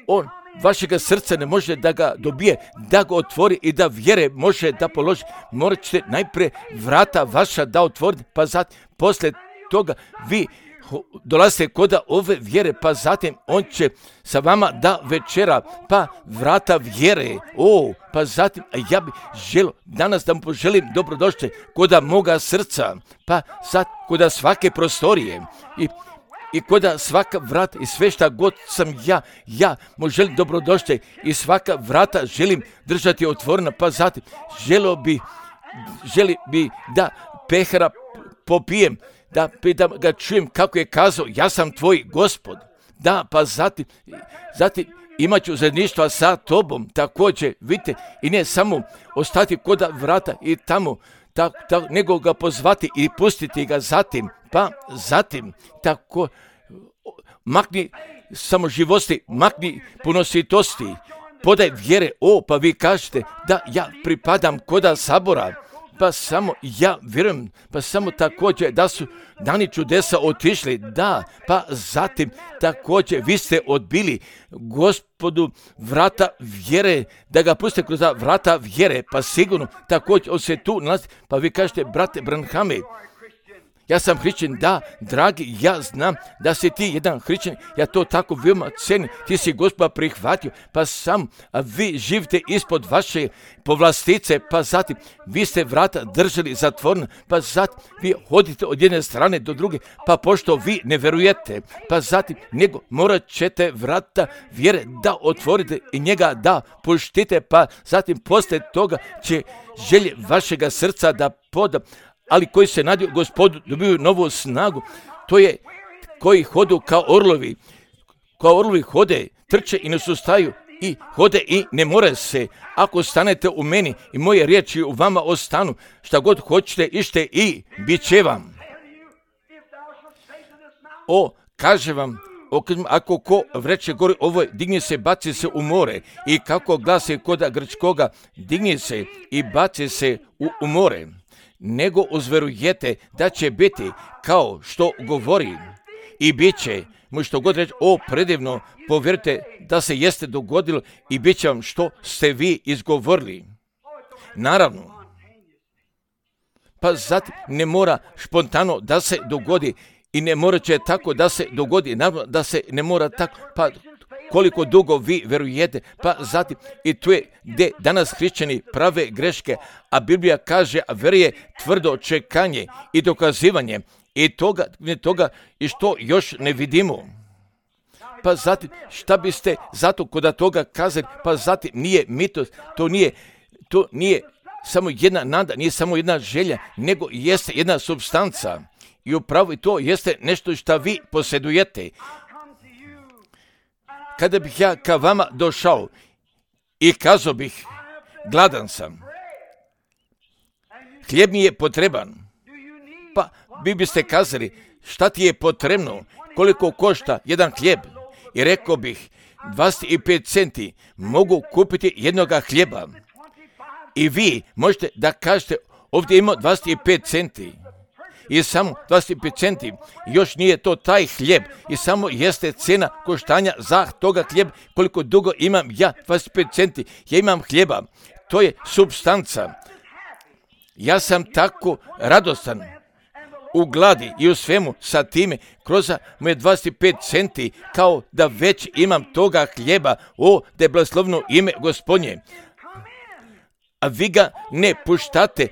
on vašega srca ne može da ga dobije, da ga otvori i da vjere može da položi, morat ćete najprije vrata vaša da otvorite, pa zatim poslije toga vi dolazite kod ove vjere, pa zatim on će sa vama da večera, pa vrata vjere, pa zatim, a ja bih želio danas da mu poželim dobrodošće kod moga srca, pa sad kod svake prostorije i kod svaka vrata i sve šta god sam ja mu želim dobrodošće i svaka vrata želim držati otvorena, pa zatim želi bi da pehara popijem, da ga čujem kako je kazao, ja sam tvoj Gospod. Da, pa zatim imat ću zajedništva sa tobom, također, vidite, i ne samo ostati kod vrata i tamo, nego ga pozvati i pustiti ga zatim, pa zatim, tako, makni samoživosti, makni ponositosti, podaj vjere, pa vi kažete da ja pripadam kod sabora, pa samo ja vjerujem, pa samo također da su dani čudesa otišli, da, pa zatim također vi ste odbili Gospodu vrata vjere, da ga pustite kroz vrata vjere, pa sigurno također on se tu nalazi, pa vi kažete, brate Branhame, ja sam hrišćan, da, dragi, ja znam da si ti jedan hrišćan, ja to tako veoma cenim, ti si Gospoda prihvatio, pa sam, a vi živite ispod vaše povlastice, pa zatim vi ste vrata držali zatvorena, pa zatim vi hodite od jedne strane do druge, pa pošto vi ne verujete, pa zatim nego morat ćete vrata vjere da otvorite i njega da puštite, pa zatim poslije toga će želje vašega srca da poda, ali koji se nadaju Gospodu dobiju novu snagu, to je koji hodu kao orlovi hode, trče i ne sustaju i hode i ne more se. Ako stanete u meni i moje riječi u vama ostanu, šta god hoćete ište i bit će vam. Kaže vam, ako ko vreće gori ovoj, digni se, baci se u more, i kako glasi kod grčkoga, digni se i baci se u more, nego uzverujete da će biti kao što govori i bit će mu što god reći, o predivno, povjerite da se jeste dogodilo i bit će vam što ste vi izgovorili. Naravno, pa zatim ne mora spontano da se dogodi i ne mora će tako da se dogodi, naravno da se ne mora tako, pa koliko dugo vi verujete, pa zatim i tu je gdje danas hrišćani prave greške, a Biblija kaže, a vjeruje tvrdo čekanje i dokazivanje i toga i što još ne vidimo. Pa zatim, šta biste zato kod toga kazali, pa zatim nije mitos, to nije samo jedna nada, nije samo jedna želja, nego jeste jedna supstanca. I upravo i to jeste nešto što vi posjedujete. Kada bih ja ka vama došao i kazao bih, gladan sam, hljeb mi je potreban, pa vi biste kazali, šta ti je potrebno, koliko košta jedan hljeb? I rekao bih, 25 centi mogu kupiti jednoga hljeba. I vi možete da kažete, ovdje ima 25 centi. I samo 25 centi, još nije to taj hljeb i samo jeste cena koštanja za toga hljeb. Koliko dugo imam ja 25 centi, ja imam hljeba, to je supstanca. Ja sam tako radostan u gladi i u svemu sa time, kroz moje 25 centi, kao da već imam toga hljeba, o, da je blagoslovno ime Gospodnje. A vi ga ne puštate,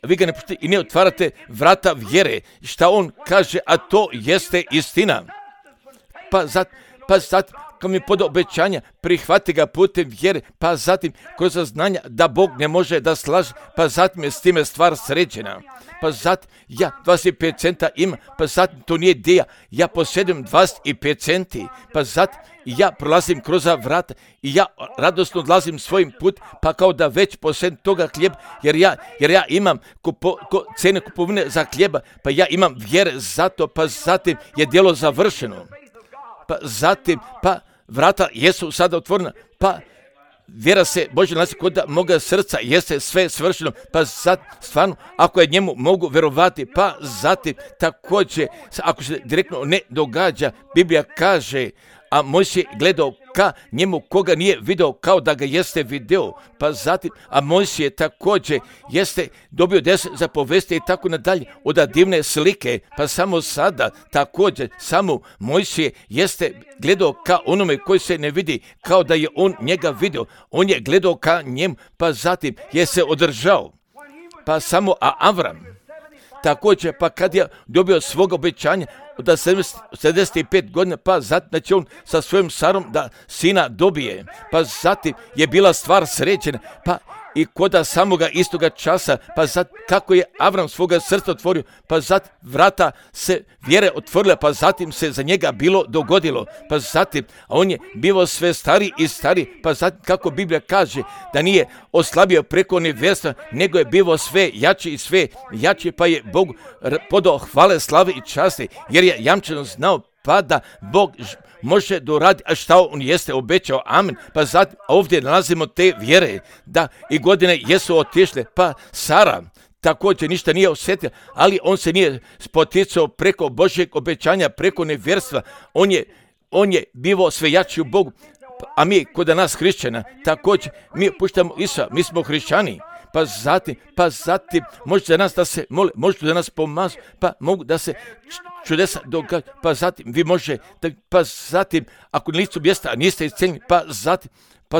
vi ga ne puštate i ne otvarate vrata vjere. Šta on kaže, a to jeste istina. Pa zatim, kad mi poda obećanja, prihvati ga putem vjere, pa zatim kroz znanja da Bog ne može da slaže, pa zatim je s time stvar sređena. Pa zatim ja 25 centa imam, pa zatim to nije ideja, ja posjedujem 25 centi, pa zatim ja prolazim kroz vrata i ja radosno odlazim svojim put, pa kao da već posjedujem toga hljeba, jer ja imam cene kupovine za hljeba, pa ja imam vjere za to, pa zatim je djelo završeno. Pa zatim, pa vrata jesu sada otvorena, pa vjera se Bože nalazi kod moga srca, jeste sve svršeno, pa zatim, stvarno, ako je njemu mogu verovati, pa zatim također, ako se direktno ne događa, Biblija kaže, a Mojsije gledao ka njemu koga nije video kao da ga jeste video, pa zatim, a Mojsije također jeste dobio 10 zapovesti i tako nadalje, od divne slike, pa samo sada također, samo Mojsije jeste gledao ka onome koji se ne vidi, kao da je on njega video, on je gledao ka njemu, pa zatim je se održao, pa samo, a Avram također, pa kad je dobio svog obećanja, od 75 godina, pa zatim da će on sa svojim Sarom da sina dobije, pa zatim je bila stvar sređena, pa i koda samoga istoga časa, pa zatim kako je Avram svoga srca otvorio, pa zatim vrata se vjere otvorila, pa zatim se za njega bilo dogodilo, pa zatim, a on je bio sve stari i stari, pa zatim kako Biblija kaže da nije oslabio preko nevjerstva, nego je bio sve jači i sve jači, pa je Bog podao hvale, slave i časti, jer je jamčeno znao pa da Bog može doraditi, a šta on jeste obećao, amen. Pa zatim ovdje nalazimo te vjere, da i godine jesu otišle, pa Sara također ništa nije osjetila, ali on se nije spoticao preko Božjeg obećanja, preko nevjerstva, on je bio sve jači u Bogu, a mi kod nas hrišćana, također mi puštamo Isusa, mi smo hrišćani. Pa zatim, možete za nas da se mole, možete za nas pomažu, pa mogu da se čudesa događa, pa zatim vi može, pa zatim, ako na licu mjesta niste iscijeljeni, pa zatim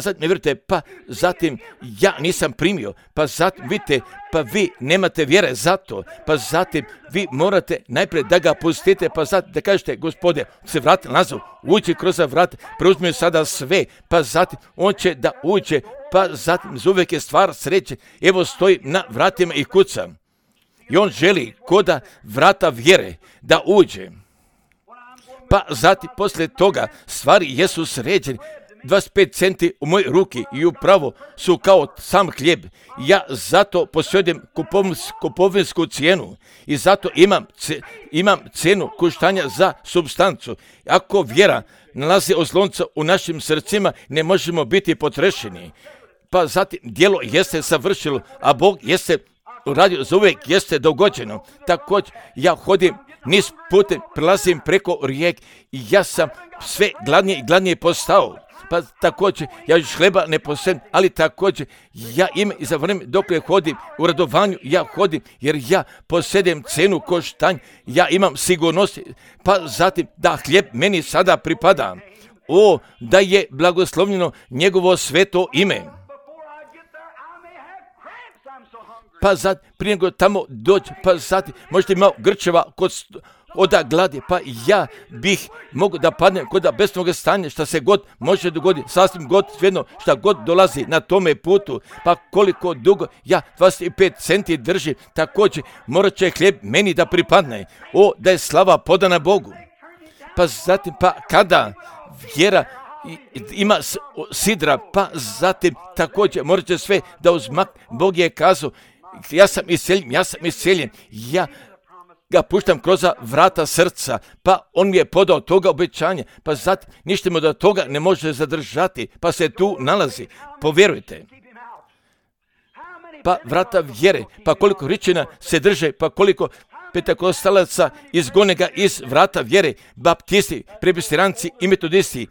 ne vjerujete, pa zatim ja nisam primio, pa zatim vidite, pa vi nemate vjere za to, pa zatim vi morate najprije da ga pustite, pa zatim da kažete, Gospode, se vrati nazad, uđi kroz vrat, preuzmi sada sve, pa zatim on će da uđe, pa zatim uvijek je stvar sreće, evo stoji na vratima i kuca. I on želi koda vrata vjere da uđe. Pa zatim poslije toga stvari jesu sređene. 25 centi u mojoj ruki i upravo su kao sam hljeb. Ja zato posjedujem kupovinsku cijenu i zato imam cenu koštanja za supstancu. Ako vjera nalazi oslonca u našim srcima, ne možemo biti potrešeni. Pa zatim djelo jeste savršilo, a Bog jeste uradio za uvijek, jeste dogođeno. Također ja hodim niz putem prelazim preko rijek i ja sam sve gladnije i gladnije postao. Pa također, ja još hleba ne posedem, ali također, ja imam i za vrijeme dok hodim u radovanju, ja hodim, jer ja posedem cenu koštanj, ja imam sigurnost, pa zatim da hljeb meni sada pripada. O, da je blagoslovljeno njegovo sveto ime. Pa zatim, prije nego tamo dođe, pa zatim, možete imati grčeva od gladi, pa ja bih mogao da padnem kod besnog stanja, šta se god može dogoditi, sasvim god, svejedno, šta god dolazi na tome putu, pa koliko dugo ja 25 centi držim, također morat će hljeb meni da pripadne. O, da je slava podana Bogu. Pa zatim, pa kada vjera ima sidra, pa zatim također morat će sve da uzmak. Bog je kazao, ja sam iseljen, ja ga puštam kroz vrata srca, pa on mi je podao toga obećanja, pa zatim ništa mu da toga ne može zadržati, pa se tu nalazi, povjerujte. Pa vrata vjere, pa koliko ričina se drže, pa koliko petakostalaca izgone ga iz vrata vjere, baptisti, presbiteranci i metodisti.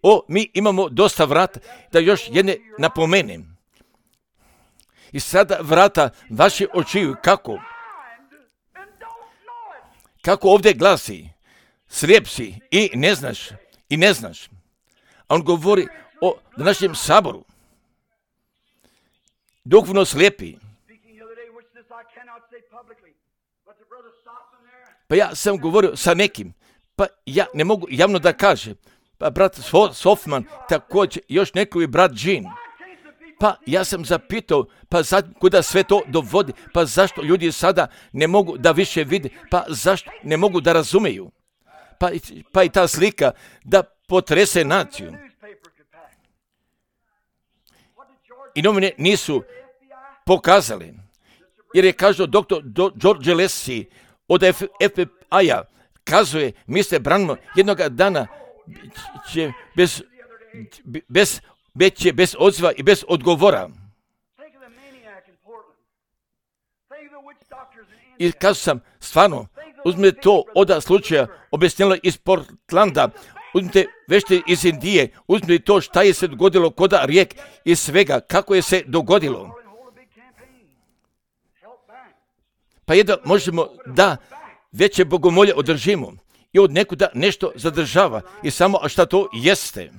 O, mi imamo dosta vrata, da još jedne napomenem. I sada vrata vaše očiju, kako ovdje glasi, slijep si i ne znaš. A on govori o današnjem saboru. Duhovno slijepi. Pa ja sam govorio sa nekim, pa ja ne mogu javno da kažem. Pa brat Sofman, također još neko i brat Jean. Pa ja sam zapitao, pa kuda sve to dovodi, pa zašto ljudi sada ne mogu da više vide, pa zašto ne mogu da razumeju. Pa i ta slika da potrese naciju. I novine nisu pokazali, jer je kažao doktor George Leslie od FBI-a, kazuje, Mr. Branham jednog dana će bez odziva i bez odgovora. I kazao sam, stvarno, uzmite to od slučaja objašnjeno iz Portlanda, uzmite vešte iz Indije, uzmite to šta je se dogodilo kod rijek i svega, kako je se dogodilo. Pa jedno možemo da veće bogomolje održimo i od nekuda nešto zadržava i samo, a šta to jeste?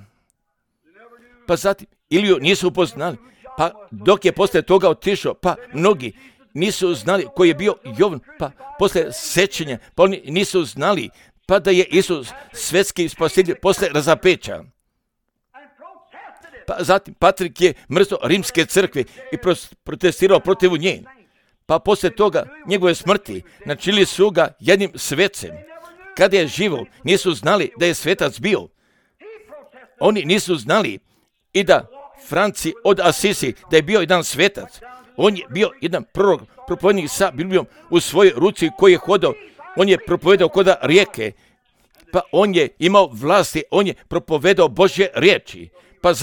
Pa zatim, Iliju nisu upoznali, pa dok je poslije toga otišao, pa mnogi nisu znali koji je bio Jovan, pa poslije sečenja, pa oni nisu znali, pa da je Isus svetski spasitelj poslije razapeća. Pa zatim, Patrik je mrzo rimske crkve i protestirao protiv nje. Pa poslije toga, njegove smrti, načinili su ga jednim svecem. Kada je živo, nisu znali da je svetac bio. Oni nisu znali i da Franci od Asisi, da je bio jedan svetac. On je bio jedan prorok, propovednik sa Biblijom u svojoj ruci koji je hodao. On je propovedao kod rijeke. Pa on je imao vlasti, on je propovedao Božje riječi. Pa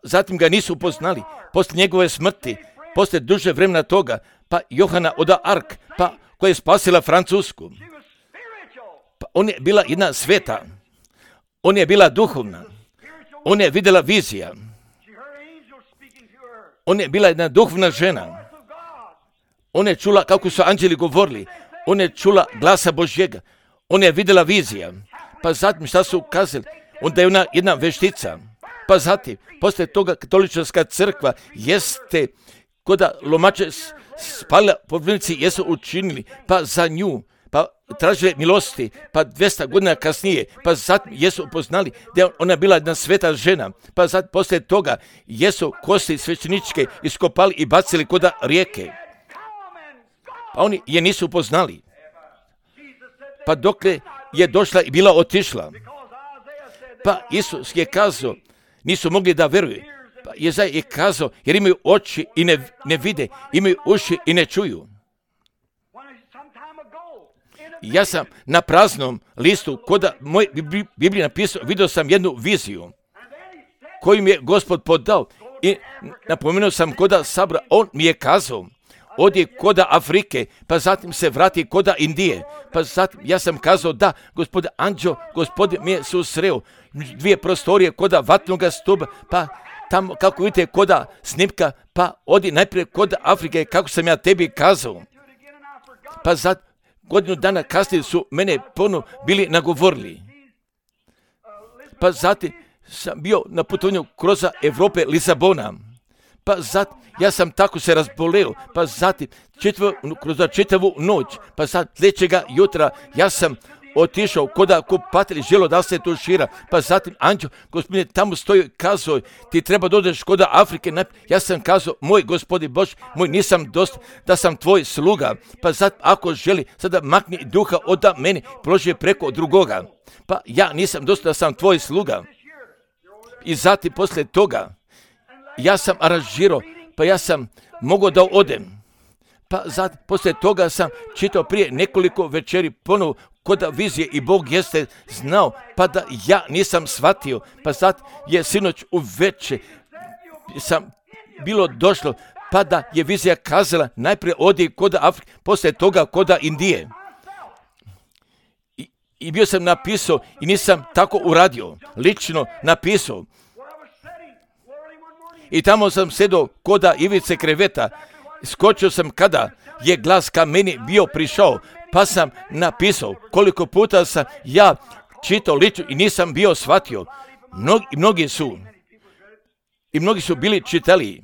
zatim ga nisu upoznali. Poslije njegove smrti, poslije duže vremena toga, pa Johana od Ark, pa koja je spasila Francusku. Pa on je bila jedna sveta. On je bila duhovna. On je vidjela vizija. On je bila jedna duhovna žena. On je čula kako su anđeli govorili. On je čula glasa Božjega. On je vidjela vizija. Pa zatim šta su kazali? Onda je ona jedna veštica. Pa zatim, poslije toga katolička crkva jeste koda lomače spalila podvrnici jesu učinili, pa za nju, pa tražili milosti, pa 200 godina kasnije, pa zatim jesu upoznali da je ona bila jedna sveta žena, pa zatim poslije toga jesu kosti svećeničke iskopali i bacili kod rijeke. Pa oni je nisu upoznali. Pa dokle je došla i bila otišla. Pa Isus je kazao, nisu mogli da veruju. Pa Jezaja je kazao, jer imaju oči i ne vide, imaju uši i ne čuju. Ja sam na praznom listu, koda moj Biblija napisao, vidio sam jednu viziju koju mi je Gospod podao i napomenuo sam koda sabora, on mi je kazao, odi koda Afrike, pa zatim se vrati koda Indije. Pa zatim ja sam kazao da, gospodin Anđeo, gospodin mi je susreo 2 prostorije koda vatnoga stuba, pa tamo kako vidite koda snimka, pa odi najprije koda Afrike kako sam ja tebi kazao. Pa zatim godinu dana kasnije su mene ponovo bili nagovorili. Pa zatim sam bio na putovanju kroz Evrope Lisabona. Pa zatim ja sam tako se razboleo, pa zatim kroz čitavu noć, pa sad sljedećega jutra ja sam otišao koda kupatelj želo da se tušira, pa zatim Anđeo, gospodine, tamo stoji kazao, ti treba dođeš koda Afrike, ja sam kazao, moj gospodin Bož, moj nisam dosta da sam tvoj sluga, pa zatim ako želi, sada makni duha od mene, položi preko drugoga, pa ja nisam dosta da sam tvoj sluga. I zatim poslije toga, ja sam aranžirao, pa ja sam mogao da odem. Pa zatim, poslije toga sam čitao prije nekoliko večeri ponovo koda vizije i Bog jeste znao, pa da ja nisam shvatio. Pa zatim je sinoć u večer sam bilo došlo, pa da je vizija kazala najprije odi koda Afrike, poslije toga koda Indije. I bio sam napisao i nisam tako uradio, lično napisao. I tamo sam sedao koda ivice kreveta, skočio sam kada je glas ka meni bio prišao, pa sam napisao koliko puta sam ja čitao lično i nisam bio shvatio. Mnogi su bili čitali.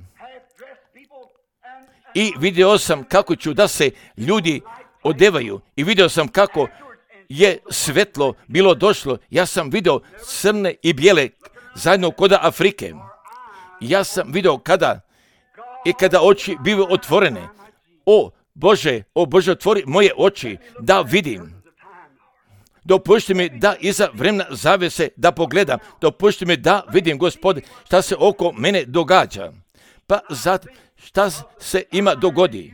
I vidio sam kako ću da se ljudi odevaju i vidio sam kako je svetlo bilo došlo. Ja sam vidio crne i bijele zajedno koda Afrike. Ja sam vidio kada oči bivaju otvorene. O Bože, otvori moje oči da vidim. Dopušti mi da iza vremena zavese da pogledam. Dopušti mi da vidim, Gospode, šta se oko mene događa. Pa zatim, šta se ima dogodi.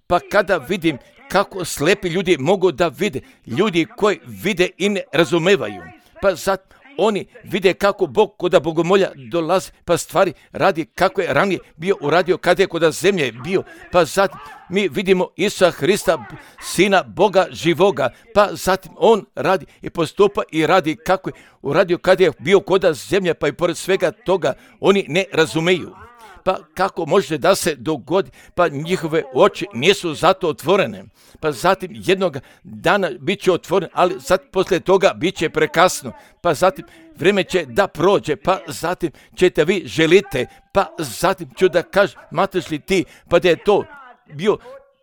Pa kada vidim kako slepi ljudi mogu da vide, ljudi koji vide i ne razumevaju. Pa zatim, oni vide kako Bog koda bogomolja dolazi, pa stvari radi kako je ranije bio uradio kada je koda zemlje bio. Pa zatim mi vidimo Isusa Hrista, Sina Boga živoga, pa zatim on radi i postupa i radi kako je uradio kada je bio koda zemlje, pa i pored svega toga oni ne razumeju. Pa kako može da se dogodi, pa njihove oči nisu zato otvorene. Pa zatim jednog dana bit će otvoren, ali poslije toga bit će prekasno. Pa zatim vrijeme će da prođe, pa zatim ćete vi želite, pa zatim ću da kažem, smatraš li ti, pa da je to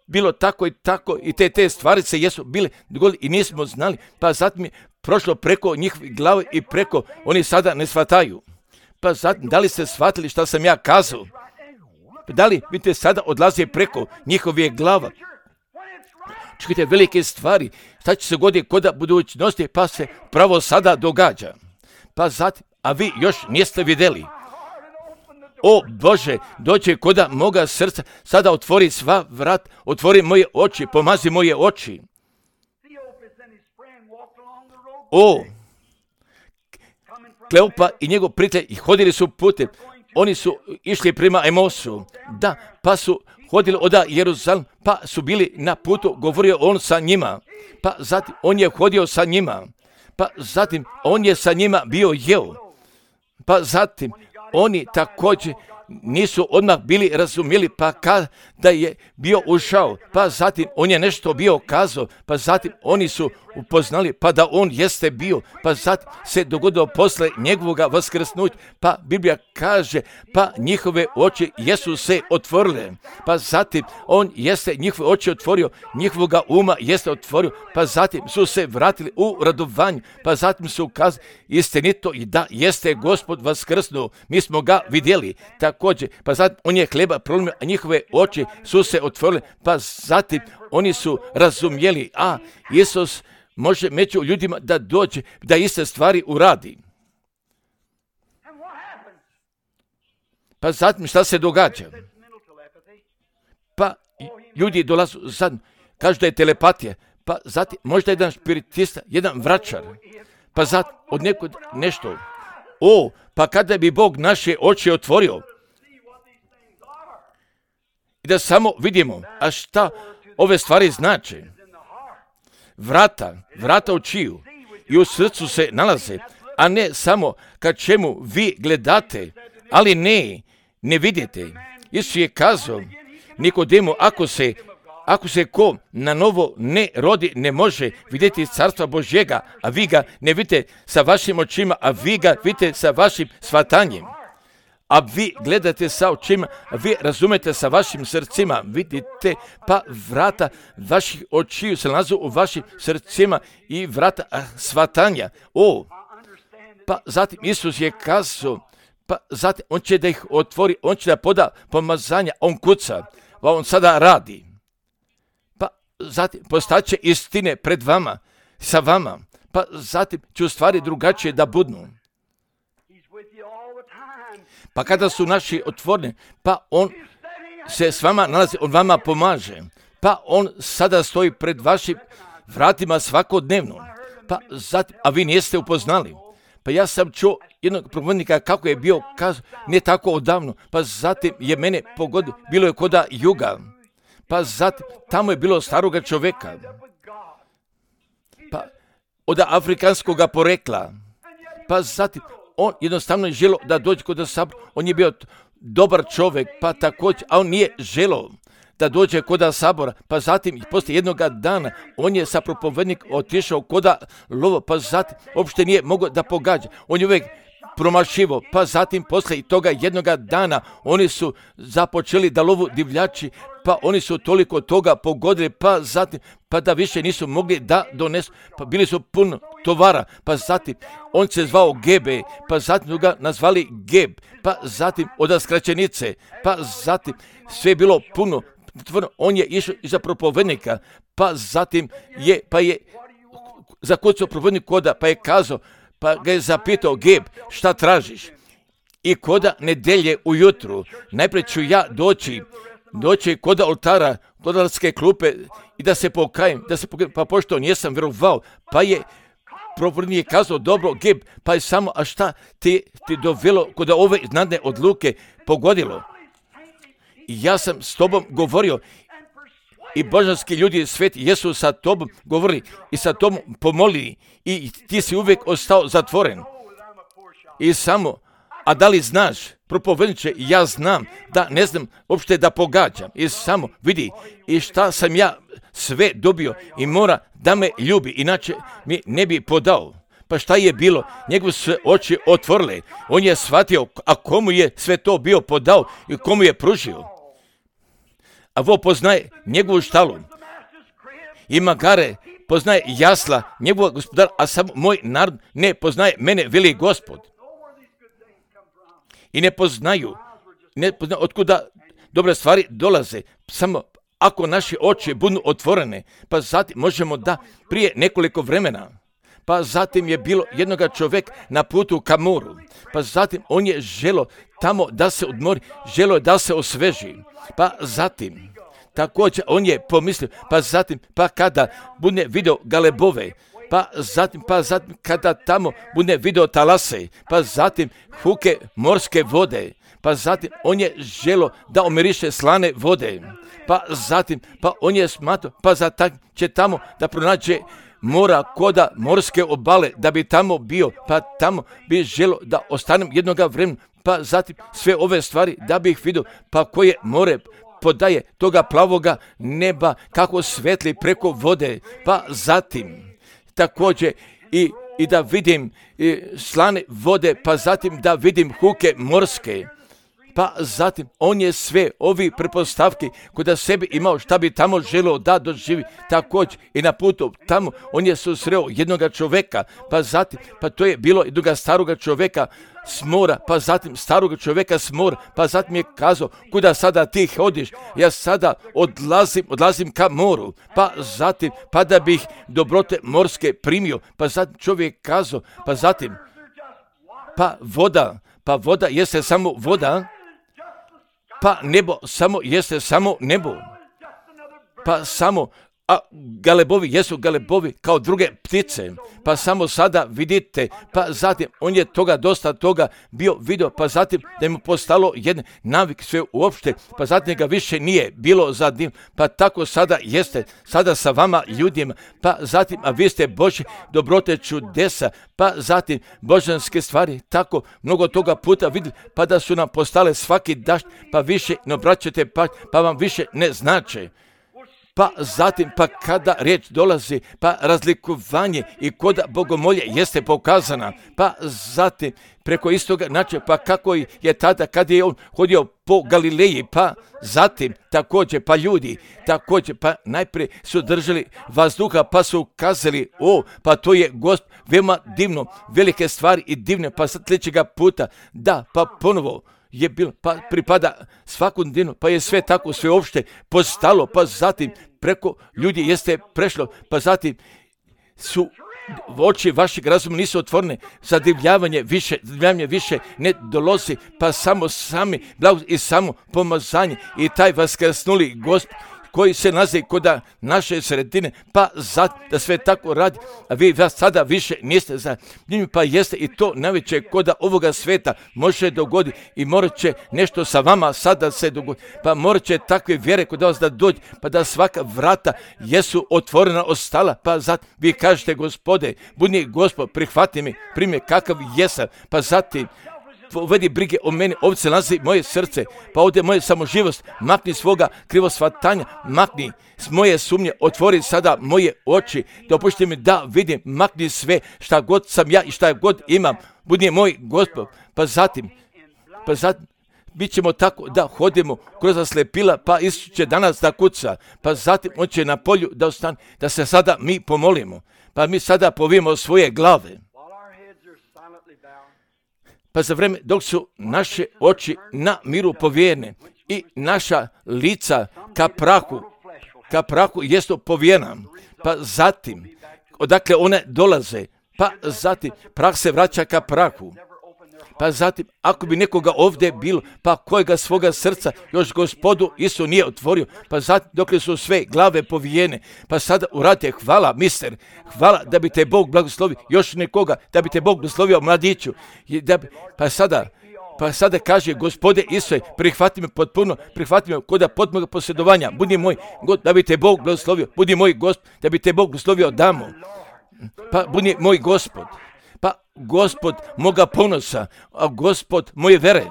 bilo tako i te stvari se jesu bile dogodile i nismo znali, pa zatim je prošlo preko njihovih glava i preko, oni sada ne shvataju. Pa zatim, da li ste shvatili šta sam ja kazao? Da li vidite sada odlazi preko njihove glava? Čekajte velike stvari, šta će se goditi koda budućnosti, pa se pravo sada događa. Pa zatim, a vi još niste vidjeli. O Bože, dođe koda moga srca, sada otvori sva vrat, otvori moje oči, pomazi moje oči. O, Kleopa i njegov prijatelj hodili su putem, oni su išli prema Emosu, da, pa su hodili od Jeruzalem, pa su bili na putu, govorio on sa njima, pa zatim on je hodio sa njima, pa zatim on je sa njima bio jeo, pa zatim oni također nisu odmah bili razumjeli, pa kada je bio ušao, pa zatim on je nešto bio kazao, pa zatim oni su upoznali, pa da on jeste bio, pa zatim se dogodilo posle njegovoga vaskrsnuća, pa Biblija kaže, pa njihove oči jesu se otvorile, pa zatim on jeste njihove oči otvorio, njihovoga uma jeste otvorio, pa zatim su se vratili u radovanju, pa zatim su kazali istinito i da jeste Gospod vaskrsnuo, mi smo ga vidjeli, također, pa zatim on je hleba prolomio, a njihove oči su se otvorile, pa zatim oni su razumjeli, a Isus može među ljudima da dođe, da iste stvari uradi. Pa zatim šta se događa? Pa ljudi dolazu zajedno, kažu da je telepatija, pa zatim možda jedan spiritista, jedan vračar, pa zatim od nekog nešto. Pa kada bi Bog naše oči otvorio, i da samo vidimo, a šta ove stvari znače. Vrata očiju i u srcu se nalaze, a ne samo kad čemu vi gledate, ali ne vidite. Isus je kazao Nikodemu, ako se ko na novo ne rodi, ne može vidjeti carstva Božjega, a vi ga ne vidite sa vašim očima, a vi ga vidite sa vašim shvatanjem. A vi gledate sa očima, a vi razumete sa vašim srcima, vidite, pa vrata vaših očiju se nalazu u vašim srcima i vrata shvatanja. Pa zatim Isus je kazao, pa zatim on će da ih otvori, on će da poda pomazanja, on kuca, pa on sada radi. Pa zatim postaće istine pred vama, sa vama, pa zatim će u stvari drugačije da budnu. Pa kada su naši otvoreni, pa on se s vama nalazi, on vama pomaže. Pa on sada stoji pred vašim vratima svakodnevno. Pa zatim, a vi niste upoznali. Pa ja sam čuo jednog propovjednika kako je bio kazao, ne tako odavno, pa zatim je mene pogodio, bilo je koda juga. Pa zatim, tamo je bilo staroga čovjeka. Pa od afrikanskog porekla. Pa zatim, on jednostavno je želio da dođe kod sabora, on je bio dobar čovjek, pa također, a on nije želio da dođe kod sabora, pa zatim poslije jednog dana on je sa propovednik otišao kod lova, pa zatim uopšte nije mogao da pogađa, on je uvijek promašivo, pa zatim poslije toga jednog dana oni su započeli da lovu divljači, pa oni su toliko toga pogodili, pa zatim, pa da više nisu mogli da donesu, pa bili su puno tovara, pa zatim on se zvao Gebe, pa zatim su ga nazvali Geb, pa zatim od skraćenice, pa zatim sve je bilo puno, on je išao iza propovednika, pa zatim je zakucao propovednik koda, pa je kazao, pa ga je zapitao, Geb, šta tražiš? I koda nedelje ujutru, najprije ću ja doći kod oltara, kod oltarske klupe i da se pokajem, pa pošto nisam vjerovao, pa je propovednik kazao, dobro, Geb, pa je samo, a šta ti dovelo kod ove iznadne odluke pogodilo? I ja sam s tobom govorio i božanski ljudi sveti jesu sa tobom govorili i sa tobom pomolili i ti si uvijek ostao zatvoren. I samo, a da li znaš, propovedniče, ja znam da ne znam uopšte da pogađam. I samo vidi i šta sam ja sve dobio i mora da me ljubi, inače mi ne bi podao. Pa šta je bilo? Njegove su oči otvorile. On je shvatio, a komu je sve to bio podao i komu je pružio. A vo poznaje njegovu štalu. I magare poznaje jasla njegovog gospodara, a sam moj narod ne poznaje mene, veli Gospod. I ne poznaju otkuda dobre stvari dolaze. Samo ako naše oči budu otvorene, pa zatim možemo da prije nekoliko vremena. Pa zatim je bilo jednoga čovjek na putu ka moru. Pa zatim on je želio tamo da se odmori, želio da se osveži. Pa zatim, također on je pomislio, pa kada bude vidio galebove, pa zatim kada tamo bude vidio talase, pa zatim huke morske vode, pa zatim on je želio da omiriše slane vode, pa zatim, pa on je smatrao, pa zatim će tamo da pronađe mora koda morske obale, da bi tamo bio, pa tamo bi želio da ostanem jednoga vremena, pa zatim sve ove stvari da bi ih vidio, pa koje more podaje toga plavoga neba, kako svetli preko vode, pa zatim također i da vidim slane vode, pa zatim da vidim huke morske, pa zatim on je sve ovi pretpostavki kod sebi imao šta bi tamo želio da doživi, također i na putu tamo on je susreo jednoga čovjeka, pa zatim, pa to je bilo jednoga staroga čovjeka s mora, pa zatim staroga čovjeka s mora, pa zatim je kazao, kuda sada ti hodiš? Ja sada odlazim ka moru, pa zatim, pa da bih dobrote morske primio, pa zatim čovjek kazao, pa zatim, pa voda jeste samo voda, pa nebo samo jeste samo nebo, pa samo a galebovi jesu galebovi kao druge ptice, pa samo sada vidite, pa zatim on je dosta toga bio vidio, pa zatim da mu postalo jedan navik sve uopšte, pa zatim ga više nije bilo za dim, pa tako sada jeste, sada sa vama ljudima, pa zatim, a vi ste Božje dobrote čudesa, pa zatim božanske stvari, tako mnogo toga puta vidjeli, pa da su nam postale svaki dašt, pa više ne obraćate pa vam više ne znače. Pa zatim, pa kada riječ dolazi, pa razlikovanje i kod bogomolje jeste pokazana, pa zatim preko istoga načina, pa kako je tada kad je on hodio po Galileji, pa zatim također, pa ljudi također, pa najprije su držali vazduha, pa su kazali, pa to je Gospod, veoma divno, velike stvari i divne, pa sad sljedećega puta, da, pa ponovo je bilo, pa pripada svakom dinu, pa je sve tako, sve uopšte postalo, pa zatim preko ljudi jeste prešlo, pa zatim su oči vašeg razuma nisu otvorene, zadivljavanje više ne dolazi, pa samo sami blago i samo pomazanje i taj vaskrsnuli Gospod koji se nalazi kod naše sredine, pa da sve tako radi, a vi sada više niste za njim, pa jeste i to najveće kod ovoga sveta može dogoditi i morat će nešto sa vama sada se dogoditi, pa morat će takve vjere kod vas da dođe, pa da svaka vrata jesu otvorena ostala, pa zatim vi kažete, Gospode, budi Gospod, prihvati me, primi kakav jesam, pa zatim uvedi brige o meni, ovdje se nalazi moje srce, pa ovdje moje samoživost, makni svoga krivosvatanja, makni s moje sumnje, otvori sada moje oči, dopušti mi da vidim, makni sve šta god sam ja i šta god imam, budi moj Gospod, pa zatim, mi ćemo tako da hodimo kroz slepila, pa Isus će danas da kuca, pa zatim on će na polju da ostane, da se sada mi pomolimo, pa mi sada povijemo svoje glave. Pa za vreme dok su naše oči na miru povijene i naša lica ka prahu jesu povijena, pa zatim odakle one dolaze, pa zatim prah se vraća ka prahu. Pa zatim, ako bi nekoga ovdje bilo, pa kojega svoga srca još Gospodu Isu nije otvorio, pa zatim dokle su sve glave povijene, pa sada uradite, hvala mister, hvala da bi te Bog blagoslovio, još nekoga, da bi te Bog blagoslovio mladiću, pa sada kaže, Gospode Isuse, prihvati me potpuno, prihvati me kod potpunog posjedovanja, budi moj God, da bi te Bog blagoslovio, budi moj Gospod, da bi te Bog blagoslovio damo, pa budi moj Gospod. Pa Gospod moga ponosa, a Gospod moje vere,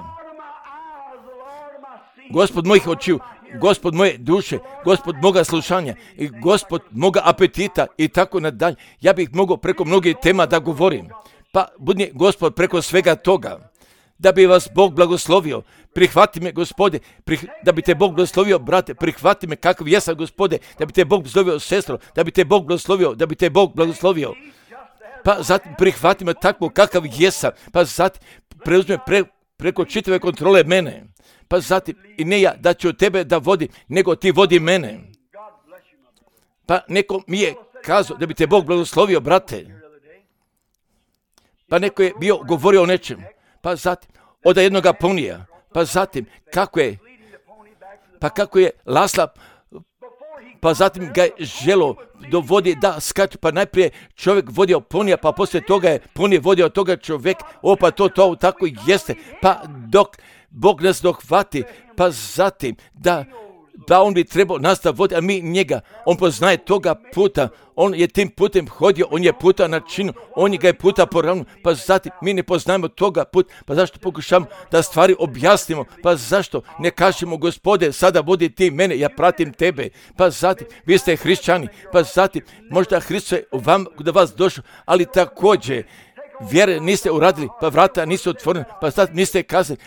Gospod mojih očiju, Gospod moje duše, Gospod moga slušanja i Gospod moga apetita i tako nadalje. Ja bih mogao preko mnogih tema da govorim. Pa budi Gospod preko svega toga, da bi vas Bog blagoslovio. Prihvati me, Gospode, da bi te Bog blagoslovio, brate, prihvati me kakav jesam, Gospode, da bi te Bog blagoslovio, sestro, da bi te Bog blagoslovio, pa zatim prihvati me takvo kakav jesam, pa zatim preuzme preko čitave kontrole mene, pa zatim i ne ja da ću tebe da vodim, nego ti vodi mene. Pa neko mi je kazao da bi te Bog blagoslovio, brate, pa neko je bio govorio o nečem, pa zatim od jednoga ponija, pa zatim kako je Lasla, pa zatim ga je želo dovodi da skače, pa najprije čovjek vodio ponija, pa poslije toga je ponije vodio toga čovjek, pa to tako jeste, pa dok Bog nas dohvati, pa zatim da on bi trebao nastaviti voditi, a mi njega, on poznaje toga puta, on je tim putem hodio, on je puta načinu, on ga je puta poravno, pa zatim mi ne poznajemo toga puta, pa zašto pokušamo da stvari objasnimo, pa zašto ne kažemo, Gospode, sada vodi ti mene, ja pratim tebe, pa zatim vi ste hrišćani, pa zatim možda Hristos je vam do vas došao, ali također vjere niste uradili, pa vrata nisu otvorena, pa zatim niste kazali,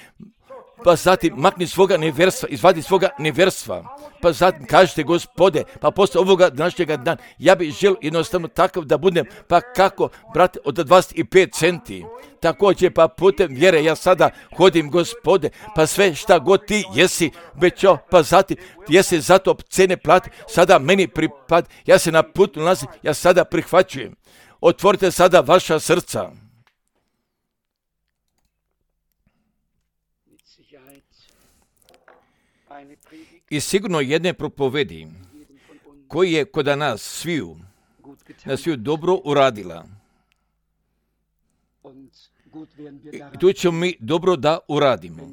pa zatim makni svoga neverstva, izvadi svoga neverstva, pa zatim kažete, Gospode, pa posle ovoga današnjega dana, ja bih želio jednostavno takav da budem, pa kako, brate, od 25 centi, također pa putem vjere ja sada hodim, Gospode, pa sve šta god ti jesi obećao, pa zatim jesi zato cene plati, sada meni pripad, ja se na putu nalazim, ja sada prihvaćujem. Otvorite sada vaša srca. I sigurno jedne propovedi koji je kod nas sviju dobro uradila. I tu ćemo mi dobro da uradimo.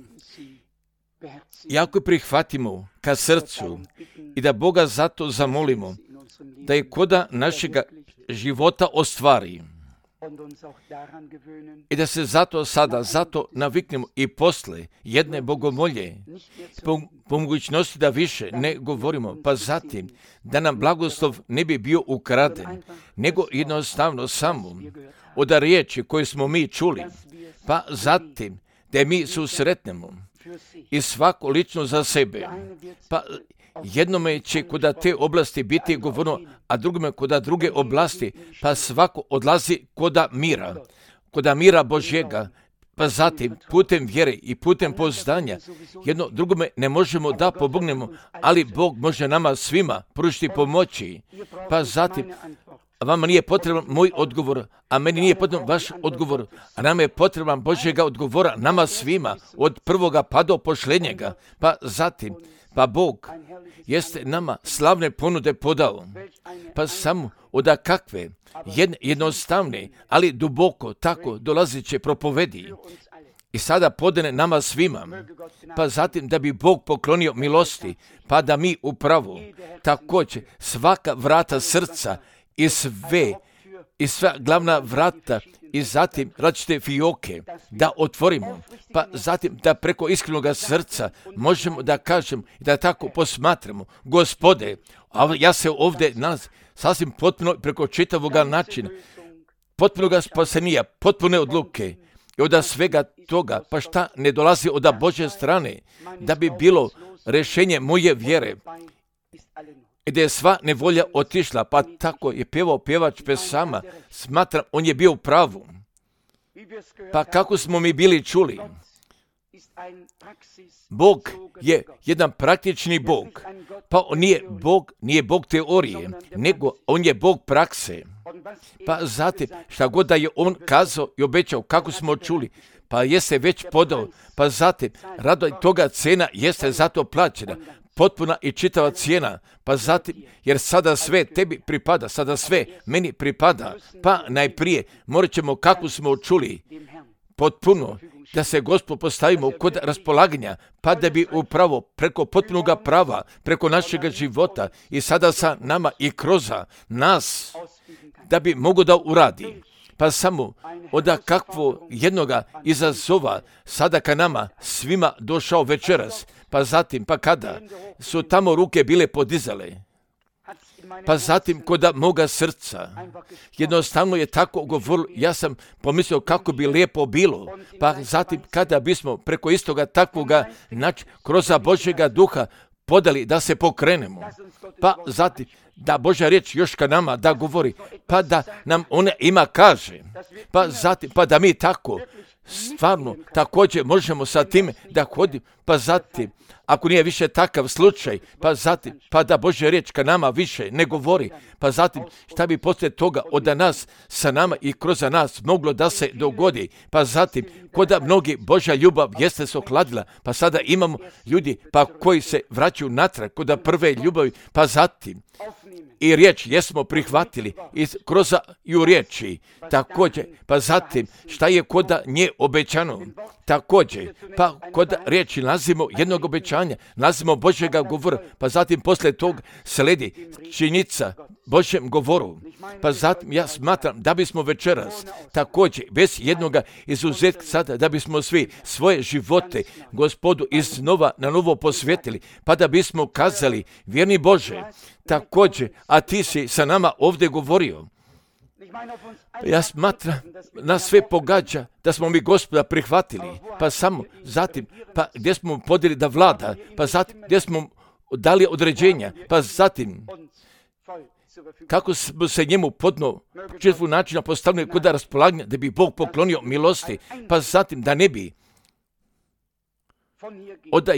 I ako prihvatimo ka srcu i da Boga zato zamolimo, da je koda našega života ostvari. I da se zato naviknemo i posle jedne bogomolje, po mogućnosti da više ne govorimo, pa zatim da nam blagoslov ne bi bio ukraden, nego jednostavno samo od riječi koje smo mi čuli, pa zatim da mi susretnemo i svako lično za sebe, pa jednome će koda te oblasti biti govorno, a drugome koda druge oblasti, pa svako odlazi koda mira Božjega, pa zatim putem vjere i putem poznanja jedno drugome ne možemo da pomognemo, ali Bog može nama svima pružiti pomoći, pa zatim vama nije potreban moj odgovor, a meni nije potreban vaš odgovor, a nama je potreban Božjega odgovora, nama svima, od prvoga pa do posljednjega, pa zatim, pa Bog jeste nama slavne ponude podao, pa samo od kakve jednostavne, ali duboko tako dolaziće propovedi. I sada podane nama svima, pa zatim da bi Bog poklonio milosti, pa da mi upravo također svaka vrata srca i sva glavna vrata i zatim različite fijoke da otvorimo, pa zatim da preko iskrenog srca možemo da kažemo i da tako posmatramo, Gospode, a ja se ovdje sasvim potpuno preko čitavoga načina, potpunoga spasenija, potpune odluke i od svega toga, pa šta ne dolazi od Božje strane, da bi bilo rješenje moje vjere, gdje je sva nevolja otišla, pa tako je pjevao pjevač pesama, smatram, on je bio u pravu. Pa kako smo mi bili čuli, Bog je jedan praktični Bog, pa on nije Bog teorije, nego on je Bog prakse. Pa zatim, šta god da je on kazao i obećao, kako smo čuli, pa jeste već podao, pa zatim, rado toga cena jeste zato plaćena, potpuna i čitava cijena, pa zatim, jer sada sve tebi pripada, sada sve meni pripada, pa najprije morat ćemo, kako smo čuli, potpuno, da se Gospod postavimo kod raspolaganja, pa da bi upravo preko potpunoga prava, preko našega života i sada sa nama i kroz nas, da bi mogo da uradi. Pa samo od kakvo jednoga izazova sada ka nama svima došao večeras, pa zatim, pa kada su tamo ruke bile podizale, pa zatim koda moga srca, jednostavno je tako govorilo, ja sam pomislio kako bi lijepo bilo, pa zatim kada bismo preko istoga takvoga kroz Božjega duha podali da se pokrenemo, pa zatim da Božja riječ još ka nama da govori, pa da nam ona ima kaže, pa zatim, pa da mi tako stvarno također možemo sa time da hodimo, pa zatim, ako nije više takav slučaj, pa zatim, pa da Božja riječ ka nama više ne govori, pa zatim šta bi poslije toga od nas, sa nama i kroz nas moglo da se dogodi, pa zatim, koda mnogi Božja ljubav jeste se okladila, pa sada imamo ljudi pa koji se vraćaju natrag koda prve ljubavi, pa zatim, i riječ jesmo prihvatili i u riječi također, pa zatim šta je koda nje obećano, također, pa koda riječi nalazimo jednog obećanja, nalazimo Božjega govora, pa zatim poslije tog sledi činjenica Božjem govoru, pa zatim ja smatram da bismo večeras također bez jednoga izuzetka sada da bismo svi svoje živote Gospodu iznova na novo posvetili, pa da bismo kazali, vjerni Bože, također, a ti si sa nama ovdje govorio. Ja smatram, nas sve pogađa da smo mi Gospoda prihvatili, pa samo zatim, pa gdje smo podijeli da vlada, pa zatim gdje smo dali određenja, pa zatim kako smo se njemu podno četvrtog načina postavili kod raspolaganja da bi Bog poklonio milosti, pa zatim da ne bi od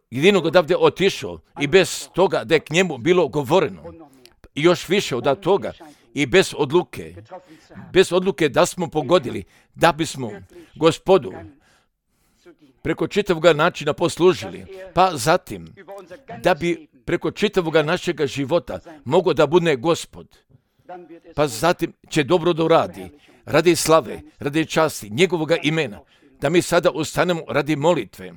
jedinog odavde otišao i bez toga da je k njemu bilo govoreno i još više od toga i bez odluke da smo pogodili, da bismo Gospodu preko čitavog načina poslužili, pa zatim da bi preko čitavoga našega života mogo da bude Gospod. Pa zatim će dobro da uradi, radi slave, radi časti, njegovoga imena, da mi sada ustanemo radi molitve.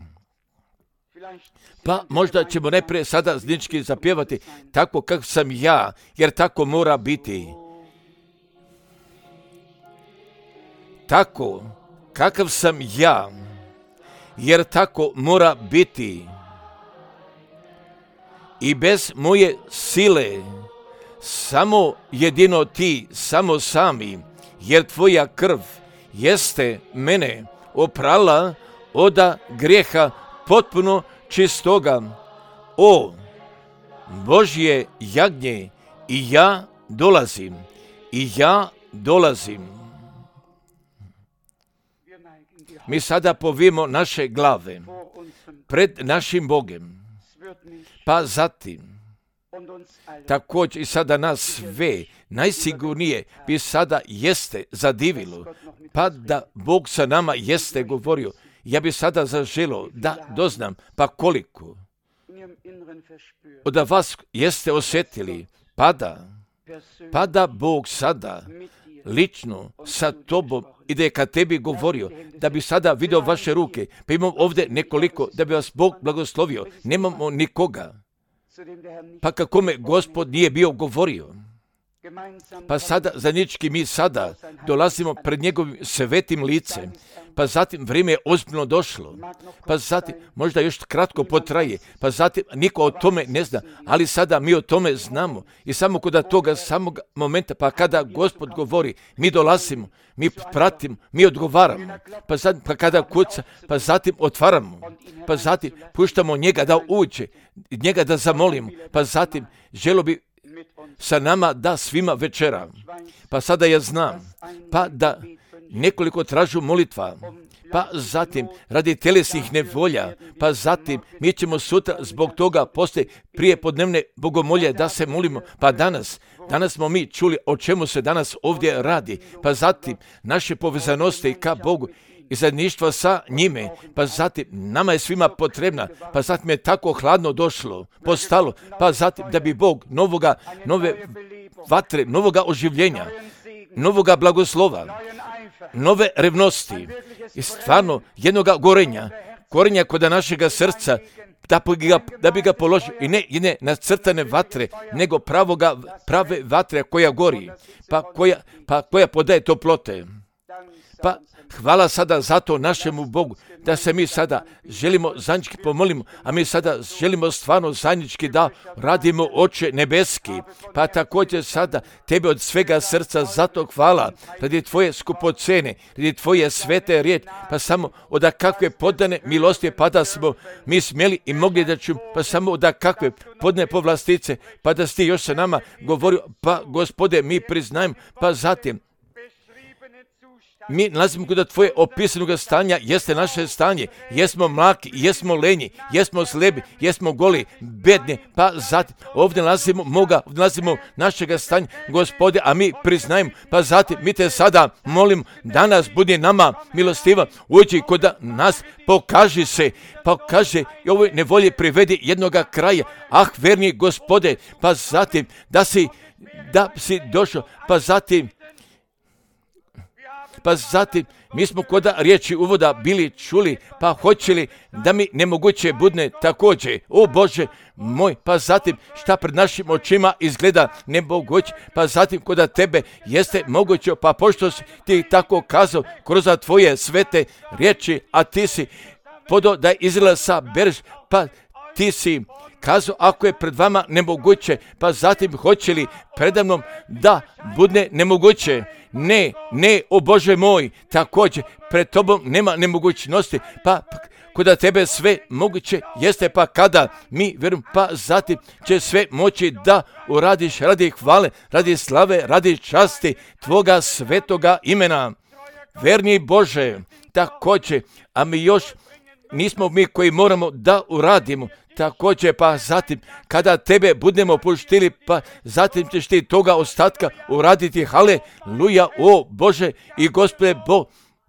Pa možda ćemo najprije sada znički zapjevati tako kako sam ja, jer tako mora biti. Tako kakav sam ja, jer tako mora biti. I bez moje sile, samo jedino ti, samo sami, jer tvoja krv jeste mene oprala oda grijeha potpuno čistoga. O Božje jagnje, i ja dolazim. Mi sada povijemo naše glave pred našim Bogem, pa zatim također i sada nas sve najsigurnije bi sada jeste zadivilo, pa da Bog sa nama jeste govorio. Ja bi sada zaželio da doznam, pa koliko od vas jeste osjetili, pa da Bog sada lično sa tobom ide kad tebi govorio, da bi sada vidio vaše ruke, pa imam ovdje nekoliko, da bi vas Bog blagoslovio. Nemamo nikoga, pa kako me Gospod nije bio govorio. Pa sada zajednički mi sada dolazimo pred njegovim svetim licem, pa zatim vrijeme je ozbiljno došlo, pa zatim možda još kratko potraje, pa zatim niko o tome ne zna, ali sada mi o tome znamo i samo kod toga samog momenta, pa kada Gospod govori, mi dolazimo, mi pratimo, mi odgovaramo, pa zatim pa kada kuca, pa zatim otvaramo, pa zatim puštamo njega da uđe, njega da zamolimo, pa zatim želo bi sa nama da svima večera. Pa sada ja znam, pa da nekoliko tražu molitva, pa zatim radi telesnih nevolja, pa zatim mi ćemo sutra zbog toga poslije prije podnevne bogomolje da se molimo, pa danas smo mi čuli o čemu se danas ovdje radi, pa zatim naše povezanosti ka Bogu i zajedništva sa njime, pa zatim nama je svima potrebna, pa zatim je tako hladno došlo, postalo, pa zatim da bi Bog nove vatre, novoga oživljenja, novoga blagoslova, nove revnosti i stvarno jednoga korenja kod našega srca, da bi ga položio i ne nacrtane vatre, nego prave vatre koja gori, pa koja podaje toplote. Pa hvala sada zato našemu Bogu, da se mi sada želimo zajednički pomolimo, a mi sada želimo stvarno zajednički da radimo Oče nebeski. Pa također sada tebe od svega srca zato hvala, radi tvoje skupocene, radi tvoje svete riječi, pa samo od kakve podane milosti, pa da smo mi smjeli i mogli da ćemo, pa samo od kakve podane povlastice, pa da si ti još sa nama govorio, pa Gospode mi priznajemo, pa zatim mi nalazimo kod tvoje opisanog stanja, jeste naše stanje, jesmo mlaki, jesmo lenji, jesmo slebi, jesmo goli, bedni, pa zatim ovdje nalazimo našega stanja, Gospode, a mi priznajemo, pa zatim mi te sada molim, danas budi nama milostiva, uđi kod nas, pokaži se, pokaži i ovoj nevolji privedi jednoga kraja, verni Gospode, pa zatim da si došao, pa zatim mi smo kod riječi uvoda bili čuli, pa hoćeli da mi nemoguće budne također. O Bože moj, pa zatim šta pred našim očima izgleda nemoguće, pa zatim kod tebe jeste moguće, pa pošto si ti tako kazao kroz tvoje svete riječi, a ti si podo da Izraela sabereš, pa ti si kazao ako je pred vama nemoguće, pa zatim hoće li predamnom da budne nemoguće? Ne, o Bože moj, također pred tobom nema nemogućnosti, pa kod tebe sve moguće jeste, pa kada mi vjerujem, pa zatim će sve moći da uradiš radi hvale, radi slave, radi časti tvoga svetoga imena. Verni Bože, također, a mi još nismo mi koji moramo da uradimo, također, pa zatim kada tebe budemo puštili, pa zatim ćeš ti toga ostatka uraditi, haleluja, o Bože i Gospode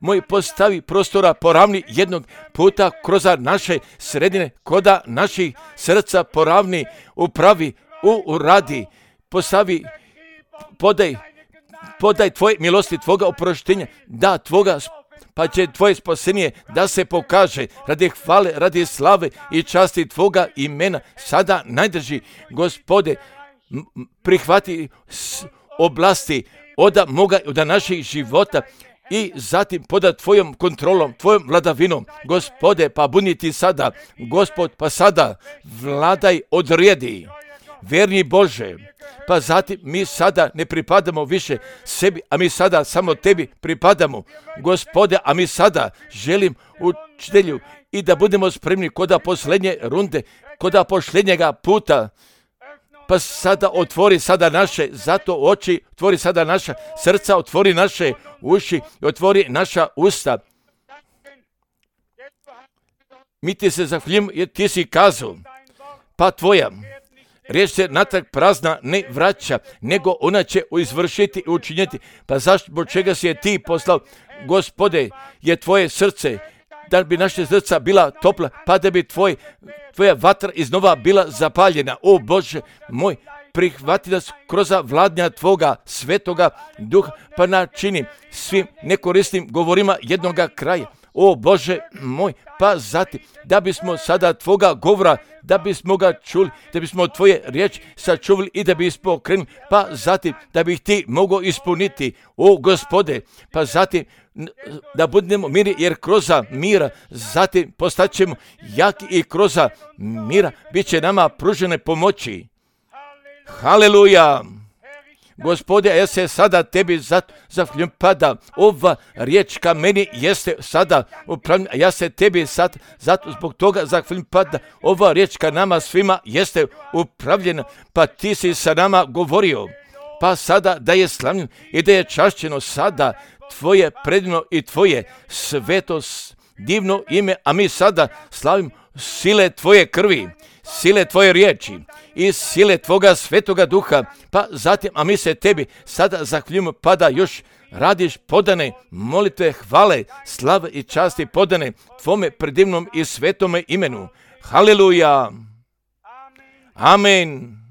moj, postavi prostora poravni jednog puta kroz naše sredine, koda naših srca poravni, upravi, uradi, postavi, podaj tvoje milosti, tvoga oproštenja, da tvoga, pa će tvoje spasenje da se pokaže radi hvale, radi slave i časti tvoga imena. Sada najdrži, Gospode, prihvati oblasti od naših života i zatim poda tvojom kontrolom, tvojom vladavinom. Gospode, pa budi ti sada, Gospod, pa sada vladaj, odredi. Verni Bože, pa zatim mi sada ne pripadamo više sebi, a mi sada samo tebi pripadamo. Gospode, a mi sada želim učitelju i da budemo spremni koda posljednje runde, koda posljednjega puta. Pa sada otvori sada naše zato oči, otvori sada naša srca, otvori naše uši, otvori naša usta. Mi ti se zahvaljujemo jer ti si kazao, pa tvoja riječ se natrag prazna ne vraća, nego ona će izvršiti i učiniti. Pa zašto, zbog čega si je ti poslao? Gospode, je tvoje srce, da bi naše srca bila topla, pa da bi tvoja vatra iznova bila zapaljena. O Bože moj, prihvati nas kroz vladnja tvoga svetoga duha, pa načini svim nekorisnim govorima jednoga kraja. O Bože moj, pa zatim, da bismo sada tvoga govora, da bismo ga čuli, da bismo tvoje riječi sačuvali i da bismo krenuli, pa zatim, da bih ti mogao ispuniti, o Gospode, pa zatim, da budemo miri, jer kroz mira, zatim postaćemo jaki i kroz mira bit će nama pružene pomoći. Haleluja! Gospode, ja se sada tebi zahvaljujem, pada ova riječ ka meni jeste sada upravljena, ja se tebi sad zato zbog toga zahvaljujem, pada ova riječ ka nama svima jeste upravljena, pa ti si sa nama govorio, pa sada da je slavljeno i da je čašćeno sada tvoje predivno i tvoje sveto divno ime, a mi sada slavimo sile tvoje krvi, sile tvoje riječi i sile tvoga svetoga duha, pa zatim, a mi se tebi sada zahvaljujemo, pa da još radiš podane molitve, hvale, slave i časti podane tvome predivnom i svetome imenu. Haleluja! Amen!